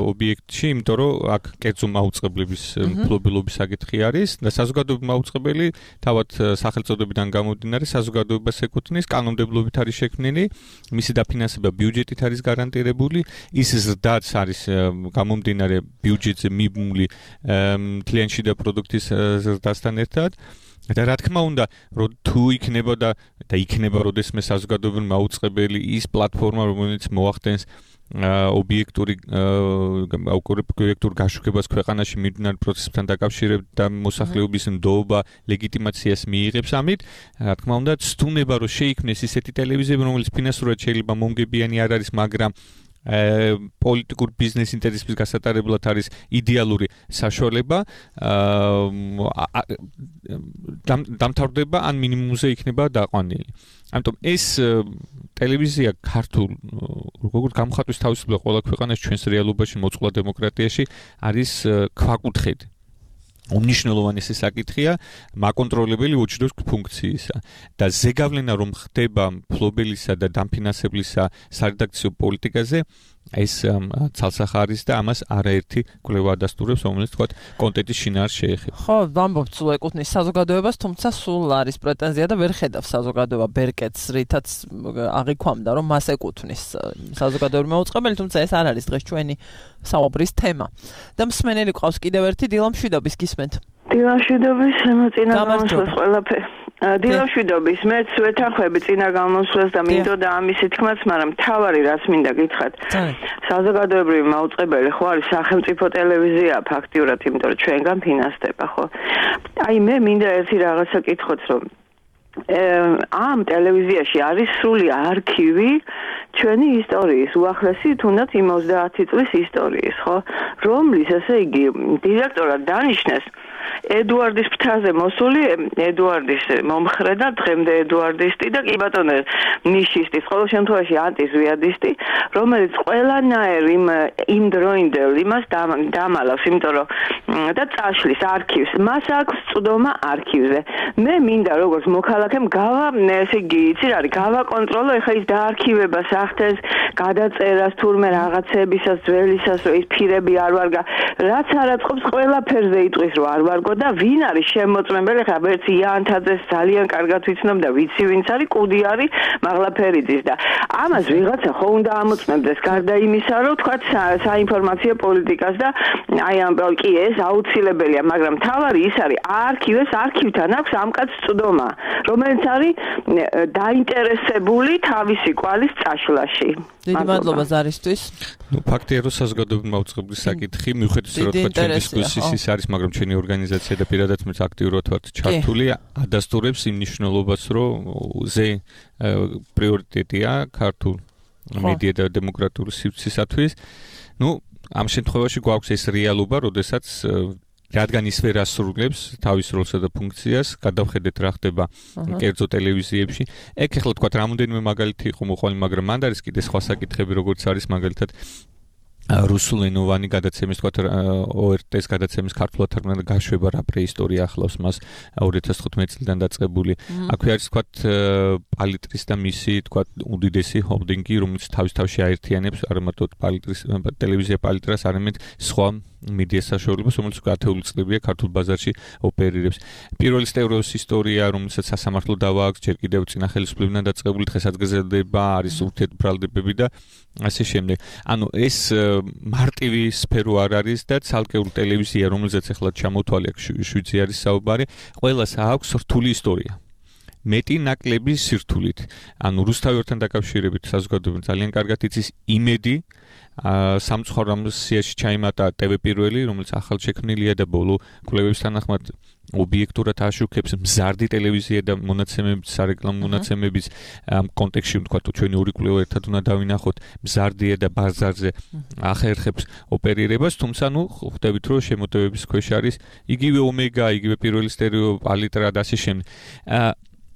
H: ობიექტში, იმიტომ რომ აქ კერძო მაუწყებლების მფლობელობის საკითხი არის და საზოგადოებრივი მაუწყებელი თავად სახელწოდებიდან გამომდინარე საზოგადოებას ეკუთვნის, კანონმდებლობით არის შექმნილი, მისი დაფინანსება ბიუჯეტით არის გარანტირებული, ის ზრდაც არის გამომდინარე ბიუჯეტზე მიბმული მთლიანი შიდა პროდუქტის ზრდასთან ერთად. და რა თქმა უნდა, რომ თუ იქნება და იქნება როდესმე საზოგადოებრივი მაუწყებელი ის პლატფორმა, რომელიც მოახდენს ობიექტურ გაშუქებას ქვეყანაში მიმდინარე პროცესებთან დაკავშირებით და მოსახლეობის ნდობა, ლეგიტიმაციას მიიღებს ამით, რა თქმა უნდა, ცდუნება რომ შეიქმნეს ისეთი ტელევიზიები, რომელიც ფინანსურად შეიძლება მომგებიანი არ არის, მაგრამ პოლიტიკურ ბიზნეს ინტერესების გასატარებლად არის იდეალური საშუალება დამთავრდება ან მინიმუმზე იქნება დაყვანილი. ამიტომ ეს ტელევიზია ქართულ როგორც გამოხატვის თავისუფლება ყველა ქვეყანაში ჩვენს რეალობაში მოწყლა დემოკრატიაში არის ქვაკუთხედი. უმნიშვნელოვანესი საკითხია მაკონტროლებელი watchdog ფუნქციისა და ზეგავლენა რომ ხდება მფლობელისა და დამფინანსებლისა სარედაქციო პოლიტიკაზე ეს ცალსახარის და ამას არაერთი კვლევა ადასტურებს, რომელიც თქვა კონტენტის შინაარს შეეხება.
B: ხო, ვამბობთ სულ ეკუთვნის საზოგადოებას, თუმცა სულ არის პრეტენზია და ვერ ხედავს საზოგადოება ბერკეტს, რითაც აღიქვამდა, რომ მას ეკუთვნის საზოგადოებრივი მაუწყებელი, თუმცა ეს არ არის დღეს ჩვენი საუბრის თემა. და მსმენელი ყავს კიდევ ერთი დილამშვიდობის გისმენთ.
I: დილამშვიდობის შემოწინა გამოსვლას ყველაფერი. დილამშვიდობის მეც ვეთანხმები წინა გამოსვლას და მინდოდა ამისი თქმაც, მაგრამ თავარი რაც მინდა გითხრათ. საზოგადოებრივი მაუწყებელი ხო არის სახელმწიფო ტელევიზია ფაქტიურად, იმიტომ რომ ჩვენგან ფინანსდება, ხო? აი მე მინდა ერთი რაღაცა გითხოთ, რომ ამ ტელევიზიაში არის სრული არქივი ჩვენი ისტორიის, უახლესი თუნდაც 30 წლის ისტორიის, ხო? რომლის ესე იგი დირექტორად დანიშნეს ედუარდის ფრთაზე მოსული ედუარდის მომხრე და დღემდე ედუარდისტი და კი ბატონო ნიშისტის ყოველ შემთხვევაში ანტიზვიადისტი, რომელიც ყველანაირ იმ დროინდელ იმას დამალავს, იმიტომ რომ და წაშლის არქივს, მას აქვს წვდომა არქივზე. მე მინდა როგორც მოქალაქემ ესე იგი იცი რა არის, გავაკონტროლო ეხა ის დაარქივებას ახდენს, გადაწერას თურმე რაღაცებისას, ძველისას, რომ ის ფირები არ ვარგა, რაც არაწყობს ყველაფერზე იტყვის რომ არ ვარგო და ვინ არის შემოწმებელი, ხა ვერც ია ანთაძეს ძალიან კარგად ვიცნობ და ვიცი ვინც არის, კუდი არის მაღლაფერიძის და ამას ვიღაცა ხო უნდა ამოწმებდეს გარდა იმისა, რომ თქვა საინფორმაციო პოლიტიკას და აი ამ კი ეს აუცილებელია, მაგრამ თავარი ის არის არქივთან აქვს ამ კაცს წვდომა, რომელიც არის დაინტერესებული თავისი კვალის წაშლაში.
B: დიდი მადლობა ზარისთვის.
H: ნუ ფაქტია რომ საზოგადოებრივი მაუწყებლის საკითხი მიუხედავად რომ თქვა ჩვენ დისკუსიის ის არის, მაგრამ ჩვენი ორგანიზაცია და პირადად მეც აქტიურად ვართ ჩართული, ადასტურებს იმ მნიშვნელობას, რომ ზე პრიორიტეტია ქართულ მედია და დემოკრატიული სივრცისათვის. ნუ ამ შემთხვევაში გვაქვს ეს რეალობა, როდესაც რადგან ის ვერ ასრულებს თავის როლსა და ფუნქციას, გადავხედეთ რა ხდება კერძო ტელევიზიებში. ეგ ახლა თქვა რამოდენიმე მაგალითი იყო მოყვანილი, მაგრამ მანდ არის კიდე სხვა საკითხები, როგორც არის მაგალითად რუსულენოვანი გადაცემის თქვა ORT-ის გადაცემის ქართულად თარგმნა გაშვება რა პრეისტორია ახლავს მას 2015 წლიდან დაწყებული. აქვე არის თქვა პალიტრის და მისი თქვა უდიდესი ჰოლდინგი, რომელიც თავის-თავში აერთიანებს არა მარტო პალიტრის ტელევიზია პალიტრას, არამედ სხვა მედია საშუალებას, რომელიც 10 წლებია ქართულ ბაზარში ოპერირებს. პირველი სტევროს ისტორია, რომელსაც სასამართლო დავა აქვს, ჯერ კიდევ წინა ხელისუფლებიდან დაწყებული, დღესაც გრძელდება, არის ურთიერთბრალდებები და ასე შემდეგ. ანუ ეს მარტივი სფერო არ არის და ცალკეული ტელევიზია, რომელზეც ახლა ჩამოთვალი აქვს 7-ზე არის საუბარი, ყველას აქვს რთული ისტორია. მეტი ნაკლები სირთულით. ანუ რუსთავებთან დაკავშირებით საზოგადოება ძალიან კარგად იცის იმედი სამწუხაროდ სიაში ჩაიმატა TV პირველი, რომელიც ახალშექმნილია და ბოლო კვლევების თანახმად ობიექტურად აშუქებს მზარდი ტელევიზია და მონაცემების, სარეკლამო მონაცემების კონტექსტში თქვა ჩვენი ორი კვლევა ერთად უნდა დავინახოთ, მზარდია და ბაზარზე ახერხებს ოპერირებას, თუმცა ხვდებით რომ შემოტევების ქვეშ არის იგივე ომეგა, იგივე პირველი სტერეო პალიტრა და ასე შემდეგ.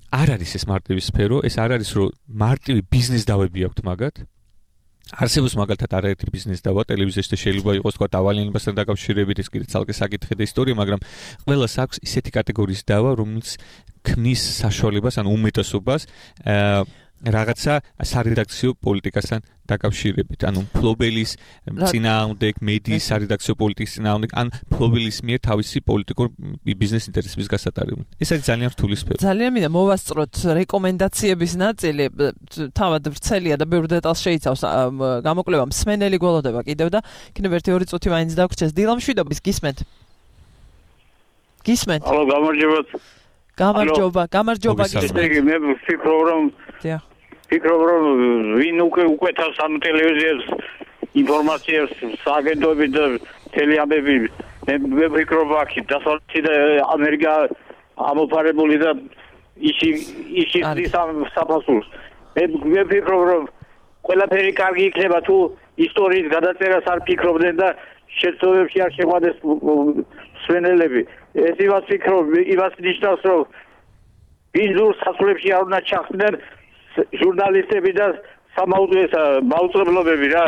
H: არ არის ეს მარტივი სფერო, ეს არ არის რომ მარტივი ბიზნეს დავები აქვთ მაგათ. არსებობს მაგალითად არაერთი ბიზნეს დავა ტელევიზიაში და შეიძლება იყოს თქვა დავალიანებასთან დაკავშირებით ეს კიდე ცალკე საკითხი და ისტორია, მაგრამ ყველას აქვს ისეთი კატეგორიის დავა, რომელიც ქმნის საშუალებას, ანუ უმეტესობას რაღაცა სარედაქციო პოლიტიკასთან დაკავშირებით, ანუ ფლობელის წინააღმდეგ, მედიის სარედაქციო პოლიტიკის წინააღმდეგ, ან ფლობელის მიერ თავისი პოლიტიკურ ბიზნეს ინტერესების გასატარებლად. ეს არის ძალიან რთული სფერო.
B: ძალიან მინდა მოვასწროთ რეკომენდაციების ნაწილი, თავად ვრცელია და ბევრ დეტალს შეიცავს გამოკვლევა, მსმენელი გველოდება კიდევ და იქნებ 1-2 წუთი მაინც დაგვრჩეს. დილამშვიდობის, გისმენთ? გისმენთ?
J: ალო, გამარჯობა.
B: გამარჯობა გისმენთ.
J: მე ვფიქრობ რომ ვფიქრობ რომ ვინ უკვე თავს ამ ტელევიზიას ინფორმაციას სააგენტოები და ტელეამები მე ვფიქრობ აქ დასავლეთი და ამერიკა ამოფარებული და ისი საფასურს მე ვფიქრობ რომ ყველაფერი კარგი იქნება თუ ისტორიის გადაწერას არ ფიქრობდნენ და შეცდომებში არ შეყვანეს მსმენელები. ეს იმას ვფიქრობ, იმას ნიშნავს რომ ბიზნეს სასწავლებში არ უნდა ჩახდნენ ჟურნალისტები და მაუწყებლობები რა.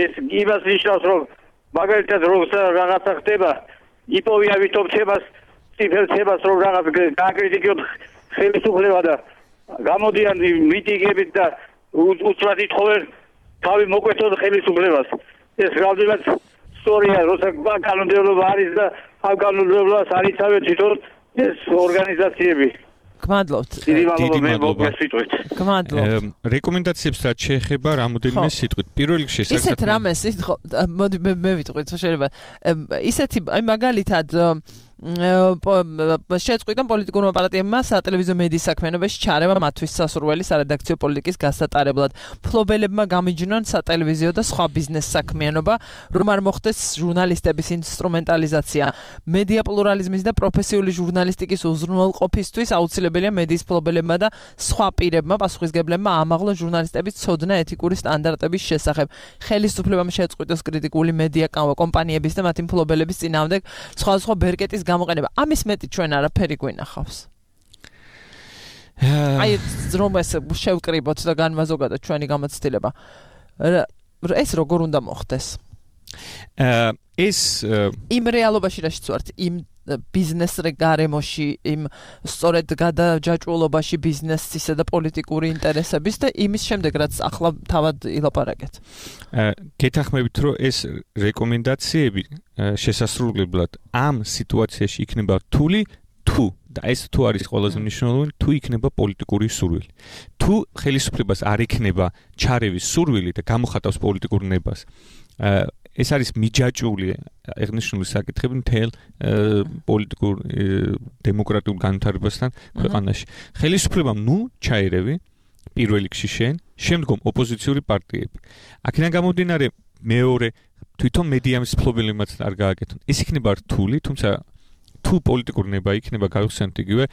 J: ეს იმას ნიშნავს რომ მაგალითად როცა რაღაცა ხდება, იპოვია ვითომ თემას, ციფრებს რომ რაღაც გააკრიტიკებთ ხელისუფლება და გამოდიან მიტინგებით და უცბად ითხოვენ თავი მოკვეთონ ხელისუფლებას. ეს რამდენად სწორია, როცა კანონმდებლობა არის და ამ კანონმდებლობას არ იცავენ თვითონ ეს ორგანიზაციები.
B: გმადლობთ.
J: დიდი მადლობა.
H: რეკომენდაციებს რაც შეეხება რამოდენიმე სიტყვით. პირველ რიგში
B: ისეთ რამეს მოდი მე ვიტყვით, შეიძლება ისეთი აი მაგალითად შეწყვიტა პოლიტიკურმა პარტიებმა სატელევიზიო მედიის საქმიანობაში ჩარევა მათთვის სასურველი სარედაქციო პოლიტიკის გასატარებლად. ფლობელებმა გამიჯნონ სატელევიზიო და სხვა ბიზნეს საქმიანობა, რომ არ მოხდეს ჟურნალისტების ინსტრუმენტალიზაცია. მედია პლურალიზმის და პროფესიული ჟურნალისტიკის უზრუნველყოფისთვის აუცილებელია მედიის ფლობელებმა და სხვა პირებმა პასუხისგებლებმა ამაღლონ ჟურნალისტების ცოდნა ეთიკური სტანდარტების შესახებ. ხელისუფლებამ შეწყვიტოს კრიტიკული მედია კომპანიების და მათი ფლობელების წინააღმდეგ სხვადასხვა ბერკეტის გამოყენება. ამის მეტი ჩვენ არაფერი გვინახავს. აი რომ ეს შევკრიბოთ და განმაზოგადოთ ჩვენი გამოცდილება. ეს როგორ უნდა მოხდეს?
H: ეს
B: იმ რეალობაში რაშიც ვართ, იმ ბიზნეს გარემოში, იმ სწორედ გადაჯაჭვულობაში ბიზნესისა და პოლიტიკური ინტერესების და იმის შემდეგ რაც ახლა თავად ილაპარაკეთ.
H: გეთანხმებით რომ ეს რეკომენდაციები შესასრულებლად ამ სიტუაციაში იქნება რთული თუ და ეს თუ არის ყველაზე მნიშვნელოვანი თუ იქნება პოლიტიკური სურვილი. თუ ხელისუფლებას არ იქნება ჩარევის სურვილი და გამოხატავს პოლიტიკურ ნებას ეს არის მიჯაჭვული აღნიშნული საკითხები მთელ პოლიტიკურ დემოკრატიულ განვითარებასთან ქვეყანაში. ხელისუფლებამ ჩაერევი პირველ რიგში შემდგომ ოპოზიციური პარტიები. აქედან გამომდინარე მეორე თვითონ მედიამის ფლობელებმაც არ გააკეთონ. ეს იქნება რთული, თუმცა თუ პოლიტიკური ნება იქნება გავიხსენოთ იგივე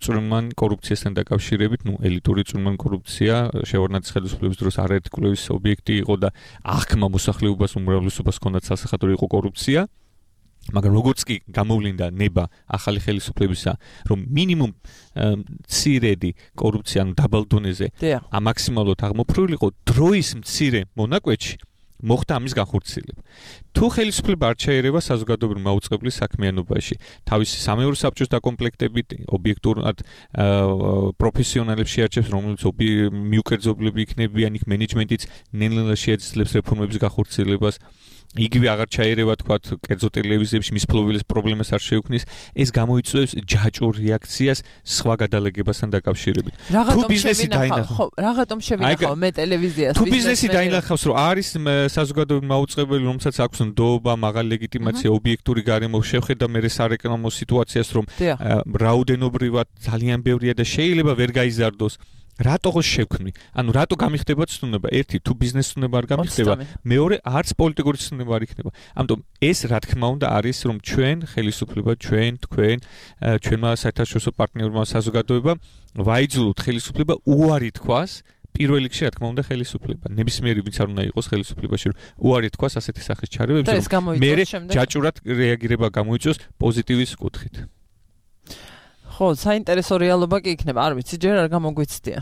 H: წვრილმან კორუფციასთან დაკავშირებით, ელიტური წვრილმან კორუფცია შევარდნაძის ხელისუფლების დროს არაერთი კვლევის ობიექტი იყო და აღქმა მოსახლეობას უმრავლესობას ჰქონდათ სასახადო იყო კორუფცია. მაგრამ როგორც კი გამოვლინდა ნება ახალი ხელისუფლებისა, რომ მინიმუმ მცირედი კორუფცია ან დაბალ დონეზე მაქსიმალურად აღმოფხვრილიყო დროის მცირე მონაკვეთში მოხდა ამის განხორციელება. თუ ხელისუფლება არ ჩაერევა საზოგადოებრივ მაუწყებლის საქმიანობაში, თავისი სამეურვე საბჭოს დაკომპლექტებით ობიექტურად პროფესიონალებს შეარჩევს, რომლებიც მიუკერძობლები იქნებიან, იქ მენეჯმენტიც ნელ-ნელა შეეძლებს რეფორმების განხორციელებას, იგივე აღარ ჩაერევა თქვათ კერძო ტელევიზიებში მის ფლობელის პრობლემას არ შეუქმნის, ეს გამოიწვევს ჯაჭვურ რეაქციას სხვა გადალეგებასთან დაკავშირებით.
B: თუ ბიზნესი დაინახავს, რაღაცომ შევინახავ მე ტელევიზიას.
H: თუ ბიზნესი დაინახავს, რომ არის საზოგადოებრივ მაუწყებელი, რომელსაც აქვს ნდობა, მაღალი ლეგიტიმაცია, ობიექტური გარემო, შევხედა მე სარეკლამო სიტუაციას, რომ რაოდენობრივად ძალიან ბევრია და შეიძლება ვერ გაიზარდოს. რატო შევქმნი? ანუ რატო გამიხდება ცნუნება? ერთი, თუ ბიზნეს ცნუნება არ გამიხდება, მეორე, არც პოლიტიკური ცნუნება არ იქნება. ამიტომ ეს რა თქმა უნდა არის, რომ ჩვენ ხელისუფლება, თქვენ, ჩვენმა საერთაშორისო პარტნიორებმა საზოგადოება ვაიძულოთ ხელისუფლება უარი თქვას პირველ რიგში რა თქმა უნდა ხელისუფლება. ნებისმიერი ვინც არ უნდა იყოს ხელისუფლებაში, რომ უარი თქვას ასეთი სახის ჩარევებს, რომ მე ჯაჭურად რეაგირება გამოიწვევს პოზიტივის კუთხით.
B: ხო, საინტერესო რეალობა კი იქნება, არ ვიცი, ჯერ არ გამოგვიცდია.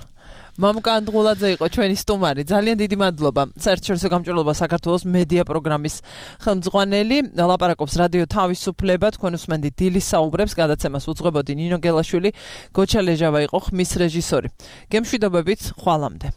B: მამუკა ანდღულაძე იყო ჩვენი სტუმარი. ძალიან დიდი მადლობა. საერთაშორისო გამჭვირვალობა საქართველოს მედია პროგრამის ხელმძღვანელი. ლაპარაკობს რადიო თავისუფლება. თქვენ უსმენთ დილის საუბრებს, გადაცემას უძღვებოდი ნინო გელაშვილი, გოჩა ლეჟავა იყო ხმის რეჟისორი. გემშვიდობებით, ხვალამდე.